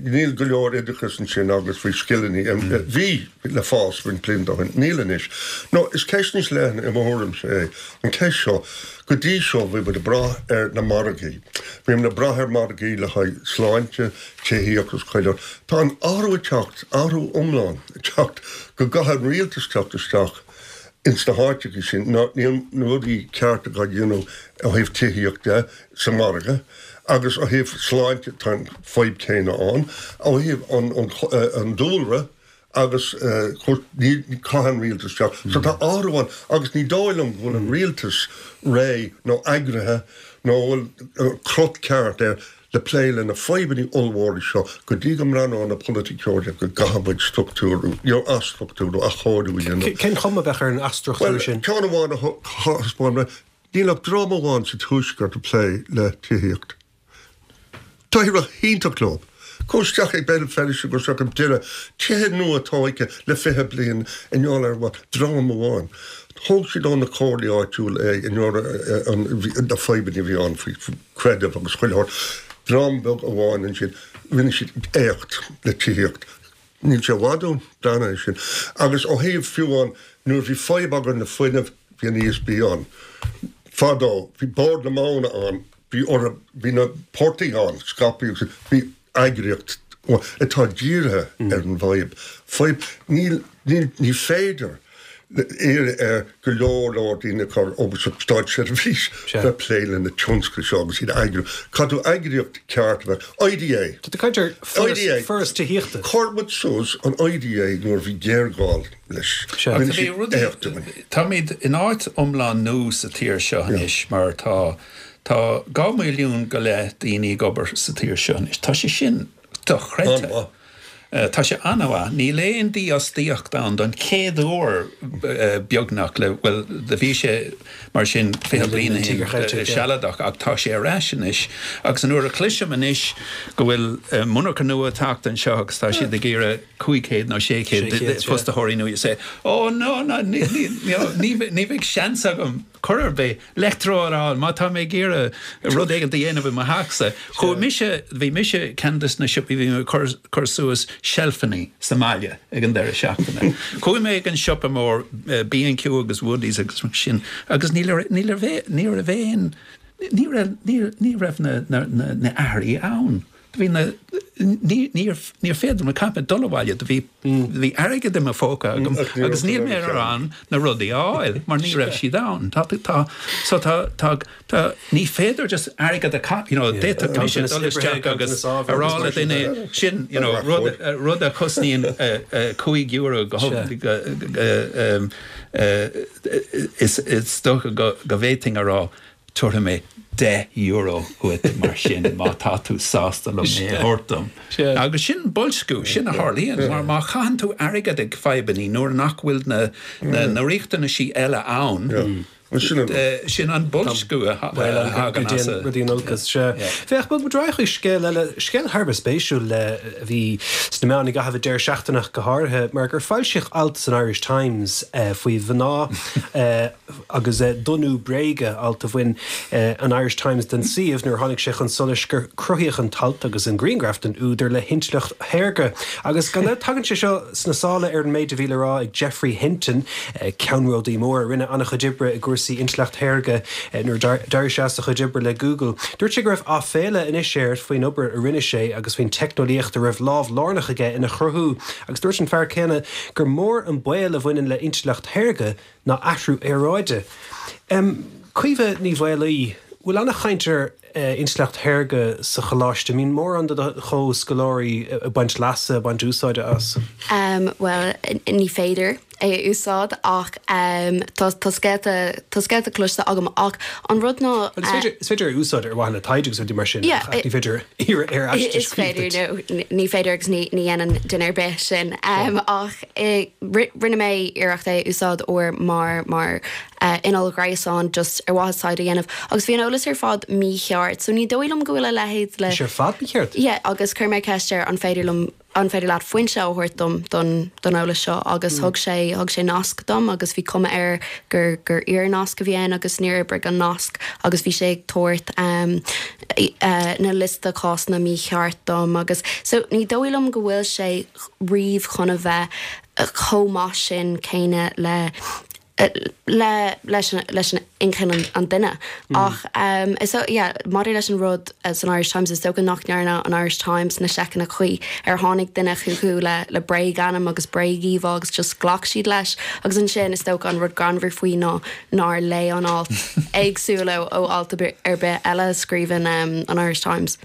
níl go leor oideachas ansin agus faoi scileanna. Bhí le fás roinnt blianta ó shin, níl anois. Nó is ceist níos leithne i mo thuairimse é an cheist seo. Go dtí seo bhí muid ag brath ar na margaí. Bhí muid ag brath ar margaí le haghaidh sláinte, tithíocht agus chuile shórt. Tá an athrú ag teacht, athrú iomlán ag teacht go gcaithfidh an rialtas teacht isteach ins na háiteacha sin. Níl na rudaí cearta á dhéanamh ó thaobh tithíocht de sa mhargadh agus ó thaobh sláinte tá an fadhb céanna ann. Ó thaobh an dúlra, agus caithfidh an rialtas teacht. So tá athrú ann agus ní dóigh liom go bhfuil an rialtas réidh nó eagraithe nó bhfuil an crot ceart air le plé le na fadhbanna ollmhóra seo go dtí go mbreathnóidh na polaiticeoirí go gcaithfidh muid struchtúrú, you know, athstruchtúrú, athchóiriú a dhéanamh. Cén chuma a bheadh ar an athstruchtúrú sin? Bhuel, ceann amháin a thaispeáin mé, níl ach dream amháin sa Tuaisceart ag plé le tithíocht. D'éirigh iontach leo. Gabh isteach ag Béal Feirste, gabh isteach ag Doire, tithe nua tógtha le fiche bliain i ngeall ar what? Dream amháin. Thóg siad ó na comhairlí áitiúla é i ngeall ar na fadhbanna a bhí ann faoi chreideamh agus chuile shórt. Dream beag amháin ansin, rinne siad éacht le tithíocht. Níl sé i bhfad uainn, breathnaigh air sin. Agus ó thaobh fiú amháin nuair a bhí fadhb againn le fuinneamh, bhí an ESB ann. Fadó, bhí Bord na Móna ann. Bhí orthu, bhí na portaigh ann, scaipthe agus bhí eagraíocht atá dírithe ar an bhfadhb. Fadhb, níl, níl, ní féidir iarraidh ar go leor leor daoine a chur obair sa státseirbhís le plé le na tionscail seo agus iad a eagrú. Caithfidh tú eagraíocht ceart a bheith, IDA. Tá tú ag caint ar foras, foras tithíochta. Chuir muid suas an IDA nuair a bhí géarghá leis. Rinne siad éacht dúinn. Táimid in áit iomlán nua sa tír seo anois mar tá Tá dhá mhilliún go leith daoine ag obair sa tír seo anois. Tá sé sin dochreidte. Tá sé an-mhaith. Níl aon dífhostaíocht ann don chéad uair beagnach le, bhuel, do bhí sé mar sin fiche bliain ó shin sealadach ach tá sé ar ais anois. Agus an uair a chloisim anois go bhfuil monarcha nua ag teacht anseo agus tá siad ag iarraidh cúig chéad nó sé chéad fostaitheoirí nua, you say, oh no, no, ní, ní, ní, ní bheidh seans agam chor ar bith leictreoir a fháil má tá mé ag iarraidh rud éigin a dhéanamh i mo theachsa. Chuaigh mise, bhí mise ceann de na siopaí, bhí mé ag cur, cur suas seilfeanna sa mbaile ag an deireadh seachtaine. Chuaigh mé ag an siopa mór, B and Q agus Woodies agus mar sin, agus ní raibh, ní raibh, ní raibh aon, ní raibh, ní, ní raibh na, na, na, na earraí ann. Do bhí na, ní, níor, níor féidir liom, caithfidh mé dul abhaile, do bhí, do bhí airgead i mo phóca agam agus níl mé in ann na rudaí a fháil mar ní raibh siad ann. Tá, tá, so tá, tá, tá, ní féidir just airgead a chaith, you know, d'fhéadfadh mise dul isteach agus a rá le duine sin, you know, rud, rud a chosnaíonn cúig euro go, go, is, is dócha go, go bhféadfainn a rá, Tabharfaidh mé deich euro dhuit mar sin má tá tú sásta liom é a thabhairt dom. Agus sin boilsciú, sin a tharlaíonn mar má chaitheann tú airgead ag fadhbanna nuair nach bhfuil na riachtanaisí eile ann, sin an boilsciú a thagann as a. Rudaí in olcas, sea. Féach, bog muid ar aghaidh chuig scéal eile, scéal thar a bheith spéisiúil a bhí sna meáin i gcaitheamh an deireadh seachtaine ach go háirithe, mar gur foilsíodh alt san Irish Times faoi mhná agus donnú bréige, alt a bhain an Irish Times den suíomh nuair a tháinig sé chun solais gur cruthaíodh an t-alt agus an grianghraf den údar le hintleacht shaorga. Agus gan dabht tagann sé seo sna sála ar an méid a bhí le rá ag Geoffrey Hinton, ceannródaí mór a rinne an-chuid oibre i gcúrsaí intleacht shaorga nuair a d'éirigh sé as a chuid oibre le Google. Dúirt sé go raibh aiféala anois air faoin obair a rinne sé agus faoin teicneolaíocht a raibh lámh lárnach aige ina chruthú agus dúirt an fear céanna gur mór an baol a bhaineann le intleacht shaorga ná athrú aeráide. Caoimhe Ní Mhaolaí, bhfuil an-chaint ar intleacht shaorga sa choláiste? An mbíonn mórán de do chomhscoláirí ag baint leasa, ag baint úsáide as? Bhuel, ní féidir é a úsáid ach tá tá scéalta tá scéalta cloiste agam ach an rud ná. Is féidir is féidir é a úsáid ar mhaithe le taighde agus rudaí mar sin ach ní féidir iarraidh ar aiste a Is féidir nó ní féidir agus ní ní dhéanann duine ar bith sin ach rinne mé iarracht é a úsáid uair mar mar inneall gréasáin just ar mhaithe taighde a dhéanamh agus bhí an eolas ar fad mícheart so ní dóigh liom go bhfuil a leithéid le Bhí sé ar fad mícheart? Yeah agus chuir mé ceist air an féidir liom an féidir leat foinse a thabhairt dom don don eolas seo agus thug sé thug sé nasc dom agus bhí cuma air gur gur fhíor-nasc a bhí ann agus níor oibrigh an nasc agus bhí sé ag tabhairt um, uh, na liosta cásanna mícheart dom agus so ní dóigh liom go bhfuil sé riamh chun a bheith chomh maith sin céanna le le leis an leis an inchinn an, an duine ach um, so yeah, maidir leis an rud uh, san Irish Times is dócha nach ndearna an Irish Times na seiceanna cuí ar tháinig duine chucu le le bréagainm agus bréagíomhá agus just ghlac siad leis agus ansin is dócha an rud greannmhar faoi ná nár léigh an alt éagsúil ó ó alt ar bith eile a scríobhann um, an Irish Times.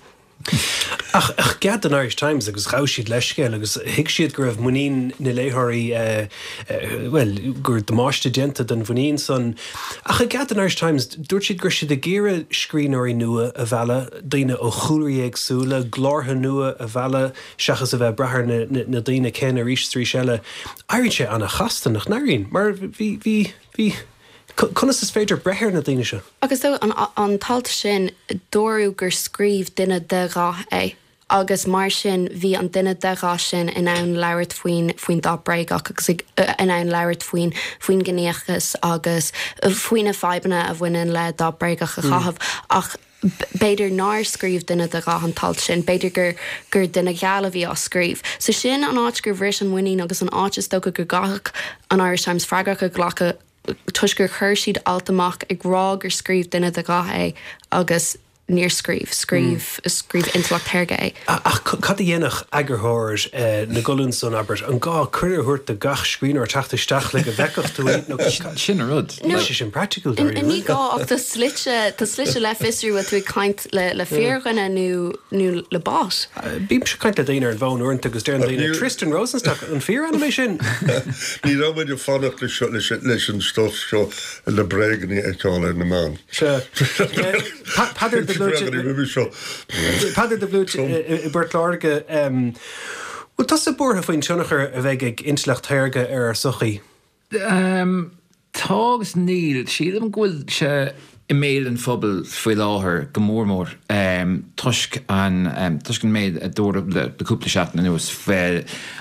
Ach i gcead don Irish Times agus ghabh siad leithscéal agus thuig siad go raibh muinín na léitheoirí, bhuel, go raibh damáiste déanta don mhuinín san. Ach i gcead don Irish Times, dúirt siad go raibh siad ag iarraidh scríbhneoirí nua a mhealladh, daoine ó chúlraí éagsúla, glórtha nua a mhealladh seachas a bheith ag brath ar na daoine céanna arís is arís eile. Éiríonn sé an-chasta, nach n-éiríonn? Mar bhí, bhí, bhí. Conas is féidir breith ar na daoine seo? Agus so an an t-alt sin, dúradh gur scríobh duine de dhath é agus mar sin bhí an duine de dhath sin in ann labhairt faoin faoin dath bréagach agus ag in ann labhairt faoin faoin gciníochas agus faoi na fadhbanna a bhaineann le dath bréagach a chaitheamh ach b'fhéidir nár scríobh duine de dhath an t-alt sin, b'fhéidir gur gur duine geal a bhí á scríobh. So sin an áit gur bhris an muinín agus an áit is dócha go gcaithfeadh an Irish Times freagrach a ghlacadh toisc gur chuir siad alt amach ag rá gur scríobh duine de dhath é agus níor scríobh, scríobh, scríobh intleacht shaorga é. Ach cad a dhéanfadh eagarthóir na gcolún san, abair? An gá cuireadh a thabhairt do gach scríbhneoir teacht isteach le go bhfeicfeadh tú iad nó Sin an rud. Níl sé sin praiticiúil dáiríre. Ní gá ach tá slite, tá slite le fiosrú bhfuil tú ag caint le le fíordhuine nó nó le bot. Bímse ag caint le daoine ar an bhfón uaireanta agus deireann daoine, Tristan Rosenstock, an fíorainm é sin? Ní raibh muid ag fanacht leis an stuff seo, na bréaganna a fheiceáil ar na meáin. Sea. Peadar de Blúit. Peadar de Blúit i bPort Láirge. Bhfuil tusa buartha faoin tionchar a bheidh ag intleacht shaorga ar ár sochaí? Um, tá agus níl sílim go bhfuil sé i mbéal an phobail faoi láthair go mór mór um, toisc an um, toisc an méid a dúradh le le cúpla seachtain anuas fé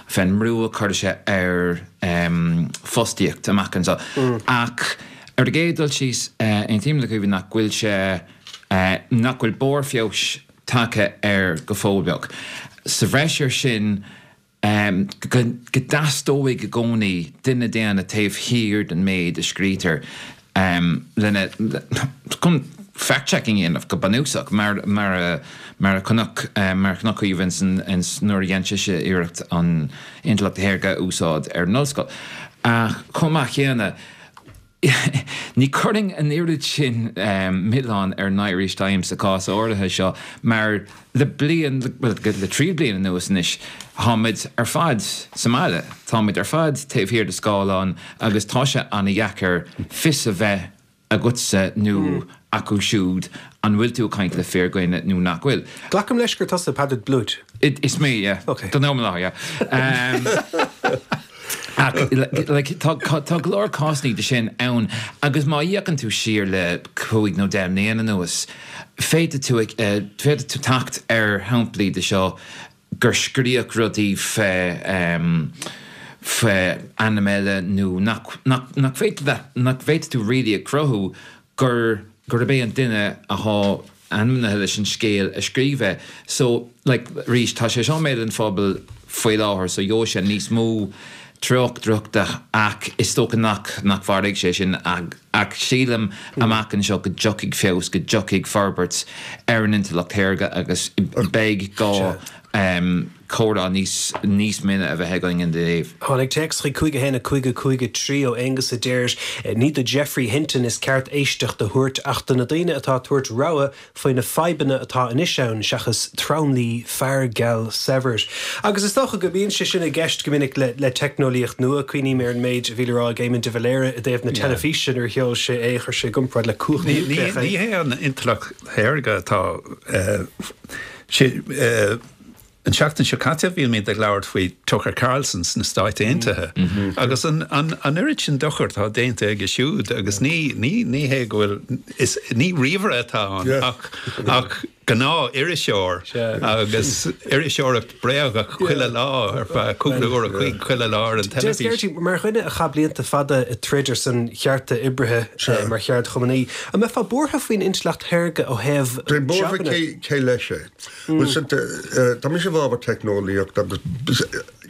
fén mbrú a chuir sé ar um, fostaíocht amach anseo. Mm. Ach ar an gcéad dul síos uh, aontaím le Caoimhín nach bhfuil sé uh, nach bhfuil barr feabhais tagtha air go fóill beag. Sa bhreis air sin um, go, go dteastóidh i gcónaí duine daonna taobh thiar den méid a scrítear um, lena chun fact-checking a dhéanamh go bunúsach mar mar a mar a chonac um, mar a chonac Caoimhín san nuair a dhein sise iarracht an intleacht shaorga a úsáid ar an ollscoil. Ach chomh maith céanna Ní chuirfinn an oiread sin um, milleán ar an Irish Times sa cás áirithe seo mar le bliain well, le trí bliana anuas anois táimid ar fad sa mbaile, Táimid ar fad taobh thiar de scáileán agus tá sé an-dheacair fios a bheith agatsa nó mm. acu siúd an bhfuil tú ag caint le fíordhuine nó nach bhfuil. Glacaim leis gur tusa Peadar Blút. Is mé, yeah. Okay. Don am lá, yeah. Um, Ach like, tá tá go leor cásanna de sin ann agus má fhéachann tú siar le cúig nó deich mbliana anuas, féadfaidh tú uh, féadfaidh tú teacht ar shamplaí de seo gur scríodh rudaí fé um, fé ainm eile nó nach nach nach féidir le nach bhféadfaidh tú really a chruthú gur gurb é an duine atá ainmnithe leis an scéal a scríobh é. So like, arís tá sé seo i mbéal an phobail faoi láthair so gheobhaidh sé níos mó tráchtaireachta ach is dócha nach nach mhairfidh sé sin ach, ach sílim amach anseo go dtiocfaidh feabhas go dtiocfaidh forbairt ar an intleacht shaorga agus beidh gá um, comhrá níos níos mine a bheith againn ina dtaobh. Tháinig téacs chuig cúig a haon a cúig a cúig a trí ó Aonghus a deir ní do Geoffrey Hinton is ceart éisteacht a thabhairt ach do na daoine atá ag tabhairt rabhadh faoi na fadhbanna atá anois ann seachas tromluí fear geal saibhir. Agus is dócha go mbíonn sé sin i gceist go minic le, le teicneolaíocht nua cuimhním ar an méid a bhí le rá ag Éamon de Valera i dtaobh na teilifíse nuair a sheol sé é chuir sé i gcomparáid le cumhacht Ní ní núicléach é. ní hé an intleacht shaorga atá eh, sé eh, An seachtain seo caite bhí mé ag labhairt faoi Tucker Carlson sna Stáit Aontaithe. Agus an, an, an oiread sin dochar atá déanta aige siúd agus ní ní ní hé go bhfuil is ní ríomhaire atá ann Yeah. ach ach gnáth-iriseoir agus iriseoireacht bréagach chuile lá ar feadh cúpla uair an chloig chuile lá ar an Des teilifís. Gearty, mar dhuine a chaith blianta fada ag troid ar son chearta oibrithe eh, mar cheardchumannaí, an mbeifeá buartha faoin intleacht shaorga ó thaobh Tá buartha jabanna? cé cé leis é. Well, sin, eh, Tá mise i bhfabhar teicneolaíocht agus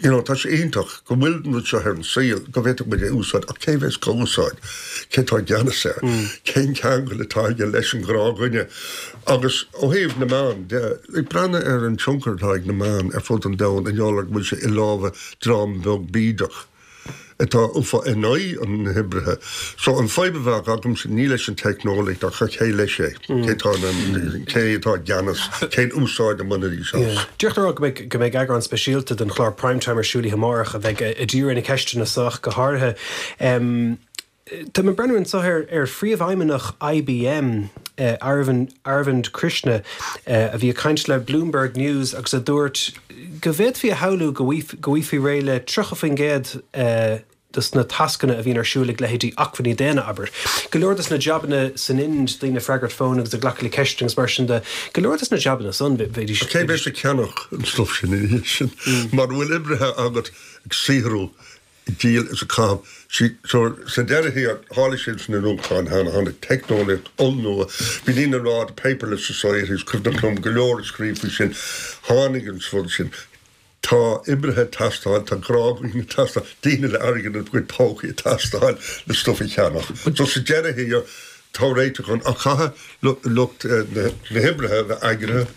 you know, tá sé iontach go bhfuil an rud seo ar an saol go bhféadfadh muid é a úsáid ach cé bheas á úsáid, cé tá i gceannas air, cén ceangal atá aige leis an ngnáthdhuine. Agus ó thaobh na meán de, ag breathnú ar an tionchar atá ag na meáin ar fud an domhain i ngeall ar go bhfuil sé i lámha dream beag bídeach. atá ufa in aghaidh an oibrithe. So an fadhb a bheadh agamsa ní leis an teicneolaíocht ach cé leis é, cé tá an- cé atá i gceannas, cén úsáid a mbainfidís as. Díreach le rá go mbeidh go mbeidh eagrán speisialta den chlár Primetime ar siúl amárach a bheidh ag díriú ar na ceisteanna seo go háirithe. Um, Tá mé ag breathnú anseo ar ar phríomhfheidhmeannach IBM eh, Arvind, Arvind Krishna eh, a bhí ag caint le Bloomberg News agus a dúirt go bhféadfaí a shamhlú go bhfai- go bhfaighfí réidh le tríocha faoin gcéad eh, dos na tascanna a bhíonn ar siúl ag leithéidí acmhainní daonna abair. Go leor dos na jabanna san Ind daoine ag freagairt fón agus ag glacadh le ceisteanna agus mar sin de go leor dos na jabanna san bheidís Cé bheas ag ceannach an stuff sin ina dhiaidh sin mar bhfuil oibrithe agat ag saothrú ag díol is ag caitheamh sí so sa deireadh thiar tharla sin sna nuachtáin cheana tháinig teicneolaíocht ollnua bhí daoine ag rá the paperless society is cuimhneach liom go leor ag scríobh faoi sin tháinig an rud sin Tá oibrithe ag teastáil tá gnáthdhaoine ag teastáil daoine le airgead ina gcuid pócaí ag teastáil le stuff a cheannach. So sa deireadh thiar tá réiteach ann ach caithfidh lucht na hoibrithe a bheith eagraithe,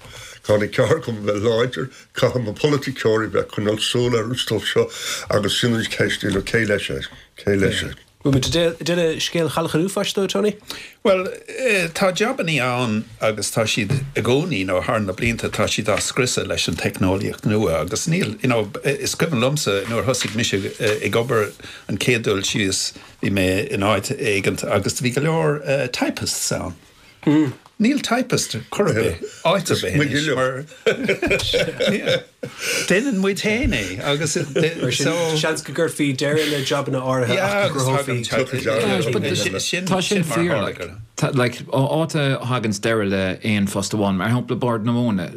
caithfidh na ceardchumainn a bheith láidir, caithfidh na polaiticeoirí bheith ag coinneáil súil ar an stuff seo agus sin an cheist you know, cé leis é, cé leis é. Bhfuil muid ag déanamh scéal Chailleach an Uafáis dó, Tony? Well, eh, tá jabannaí ann agus tá siad i gcónaí nó thar na blianta tá siad á scriosadh leis an teicneolaíocht nua agus níl you know, is cuimhin liomsa nuair thosaigh mise eh, ag obair an chéad dul síos bhí mé in áit éigin agus bhí go leor uh, typists ann. Mm. Níl typist chor ar bith áit ar bith anois mar déanann muid féin é agus so seans go gcuirfí deireadh le jabanna áirithe ach go gcruthófaí Tá sin fíor like like áit a thagann deireadh le aon phost amháin mar shampla Bord na Móna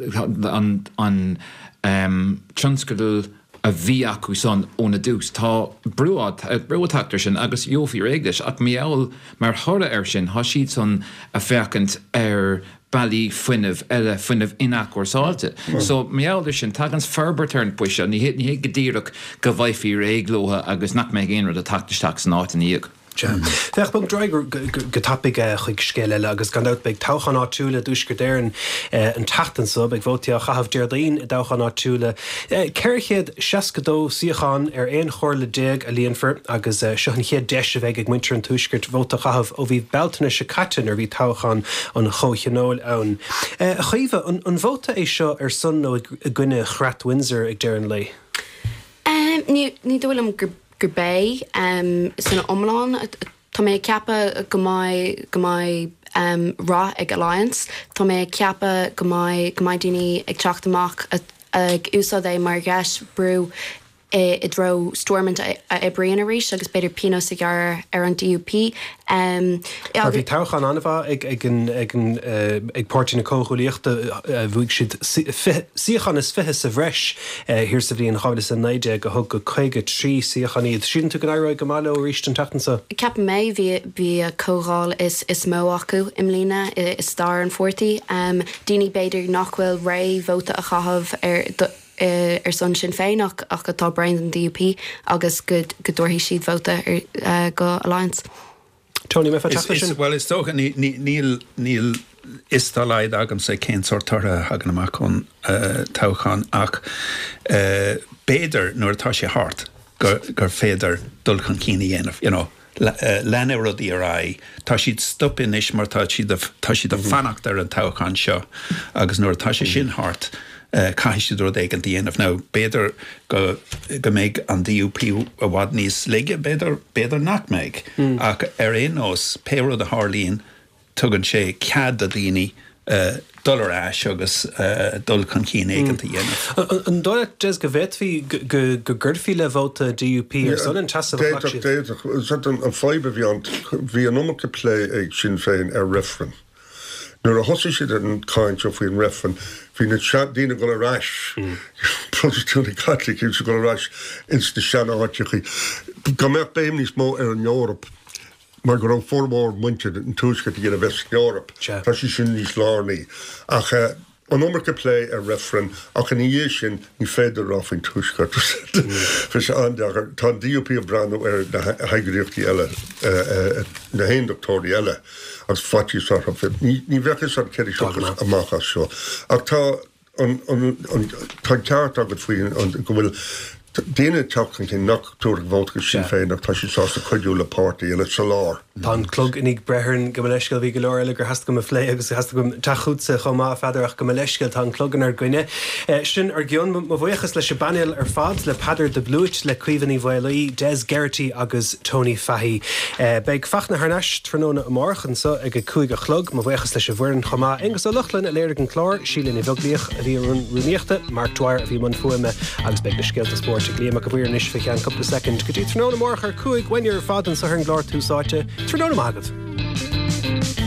an an um, tionscadal a bhí acu san óna dtús. Tá brú brú ag teacht air sin agus gheofaí réidh leis ach meall mar thoradh air sin tá siad san ag féachaint ar bealaí fuinnimh eile fuinneamh inathchúrsáilte. So meall sin tagann forbairt ar an bpoist ní ní go díreach go bhfaighfí réidh leo agus nach mbeidh aon rud ag teacht isteach san áit ina dhiaidh. Féach bog ar aghaidh go tapaidh chuig scéal eile agus gan dabht beidh toghcháin áitiúla i dTuaisceart Éireann an tseachtain seo, beidh vótaí á chaitheamh Déardaoin i dtoghcháin áitiúla. ceithre chéad seasca dó suíochán ar aon chomhairle déag a líonfar agus seo an chéad deis a bheidh ag muintir an Tuaiscirt vóta a chaitheamh ó bhí Bealtaine seo caite nuair a bhí toghchán an Chomhthionóil ann. A Chaoimhe, an vóta é seo ar son nó i gcoinne Chreat Windsor ag deireadh an lae? Ní dóigh liom gur gurb é san iomlán. Tá mé ag ceapadh go mbeidh go mbeidh um, rath ag Alliance. Tá mé ag ceapadh go mbeidh go mbeidh daoine ag teacht amach ag úsáid é mar dheis brú i dtreo Stormont a oibríonn arís agus b'fhéidir pionós a ghearradh ar an D U P. Um, Bhí toghchán an-mhaith ag ag ag ag Páirtí na Comhghuaillíochta, bhuaigh siad suíochán is fiche sa bhreis thiar sa bhliain dhá mhíle is a naoi déag a thug go caoga trí suíochán iad. Síleann tú go n-éireoidh go maith leo arís an tseachtain seo? Ceapaim é bhí bhí a comhdháil is is mó acu i mbliana i stair an pháirtí. Um, daoine b'fhéidir nach bhfuil réidh vóta a chaitheamh ar ar son Sinn Féin ach ach atá bréan den D U P agus go go dtabharfaidh siad vóta ar uh, go Alliance. Tony me sin? Well is dócha níl níl fhios dá laghad agamsa cén sórt toradh a thagann amach ón uh, toghchán ach uh, b'fhéidir nuair atá sé thart gur, gur féidir dul chun cinn a dhéanamh, you know. Leanfaidh rudaí ar aghaidh. Tá siad stop anois mar tá siad tá siad ag fanacht ar an toghchán seo agus nuair atá sé sin thart, caithfidh siad rud éigin a dhéanamh. Now b'fhéidir go go mbeidh an D U P i bhfad níos laige, b'fhéidir b'fhéidir nach mbeidh. Ach ar aon nós pé rud a tharlaíonn tugann sé cead do daoine uh, dul ar ais agus uh, dul chun cinn éigin a dhéanamh. An dóigh leat go bhféadfaí go gcuirfí le vóta D U P ar son an tseasamh a ghlac siad? An fadhb a bhí ann bhí an iomarca plé ag Sinn Féin ar reifreann. Nuair a thosaigh siad an caint seo faoin reifreann, bhí na daoine ag dul ar ais, Protastúnaigh Caitlicigh ag dul ar ais ins na sean-áiteachaí. Go mbeadh béim níos mó ar an Eoraip mar go raibh formhór muintir an Tuaiscirt ag iarraidh a bheith san Eoraip. Tá sé sin níos lárnaí. Ach an iomarca plé ar reifreann ach ina dhiaidh sin ní féidir rá faoin Tuaisceart. Bhí sé an-deacair. Tá an D U P ag breathnú ar na heagraíochtaí eile, na haondachtóirí eile agus faitíos orthu. Ní bheadh fhios agat céard a thiocfas amach as seo. Ach tá an, an, an, tá an ceart agat faoi an, go bhfuil daoine ag teacht chun cinn nach dtabharfadh vóta do Shinn Féin ach tá siad sásta cuidiú le páirtí eile sa lár. Tá an clog i ndiaidh breith orainn, gabh mo leithscéal, bhí go leor eile gur theastaigh uaim a phlé agus theastaigh uaim teacht chugatsa chomh maith, a Pheadair, ach gabh mo leithscéal, tá an clog inár gcoinne. Sin ár gcionn. Mo bhuíochas leis an bpainéal ar fad, le Peadar de Blúit, le Caoimhe Ní Mhaolaí, Des Geraghty agus Tony Fahy. Beidh Fachtna thar n-ais tráthnóna amárach anseo ag a cúig a chlog. Mo bhuíochas leis an bhfoireann chomh maith. Aonghus Ó Lochlainn a léirigh an clár, Síle Ní Bheaglaoich a bhí i mbun rúnaíochta, Mark Dwyer a bhí i mbun fuaime agus beidh na scéalta spóirt ag Liam Mac a' Mhaoir anois fé cheann cúpla soicind. Go dtí tráthnóna amárach ar cúig, uainn ar fad anseo ar an gclár Tús Áite. Tráthnóna maith agaibh.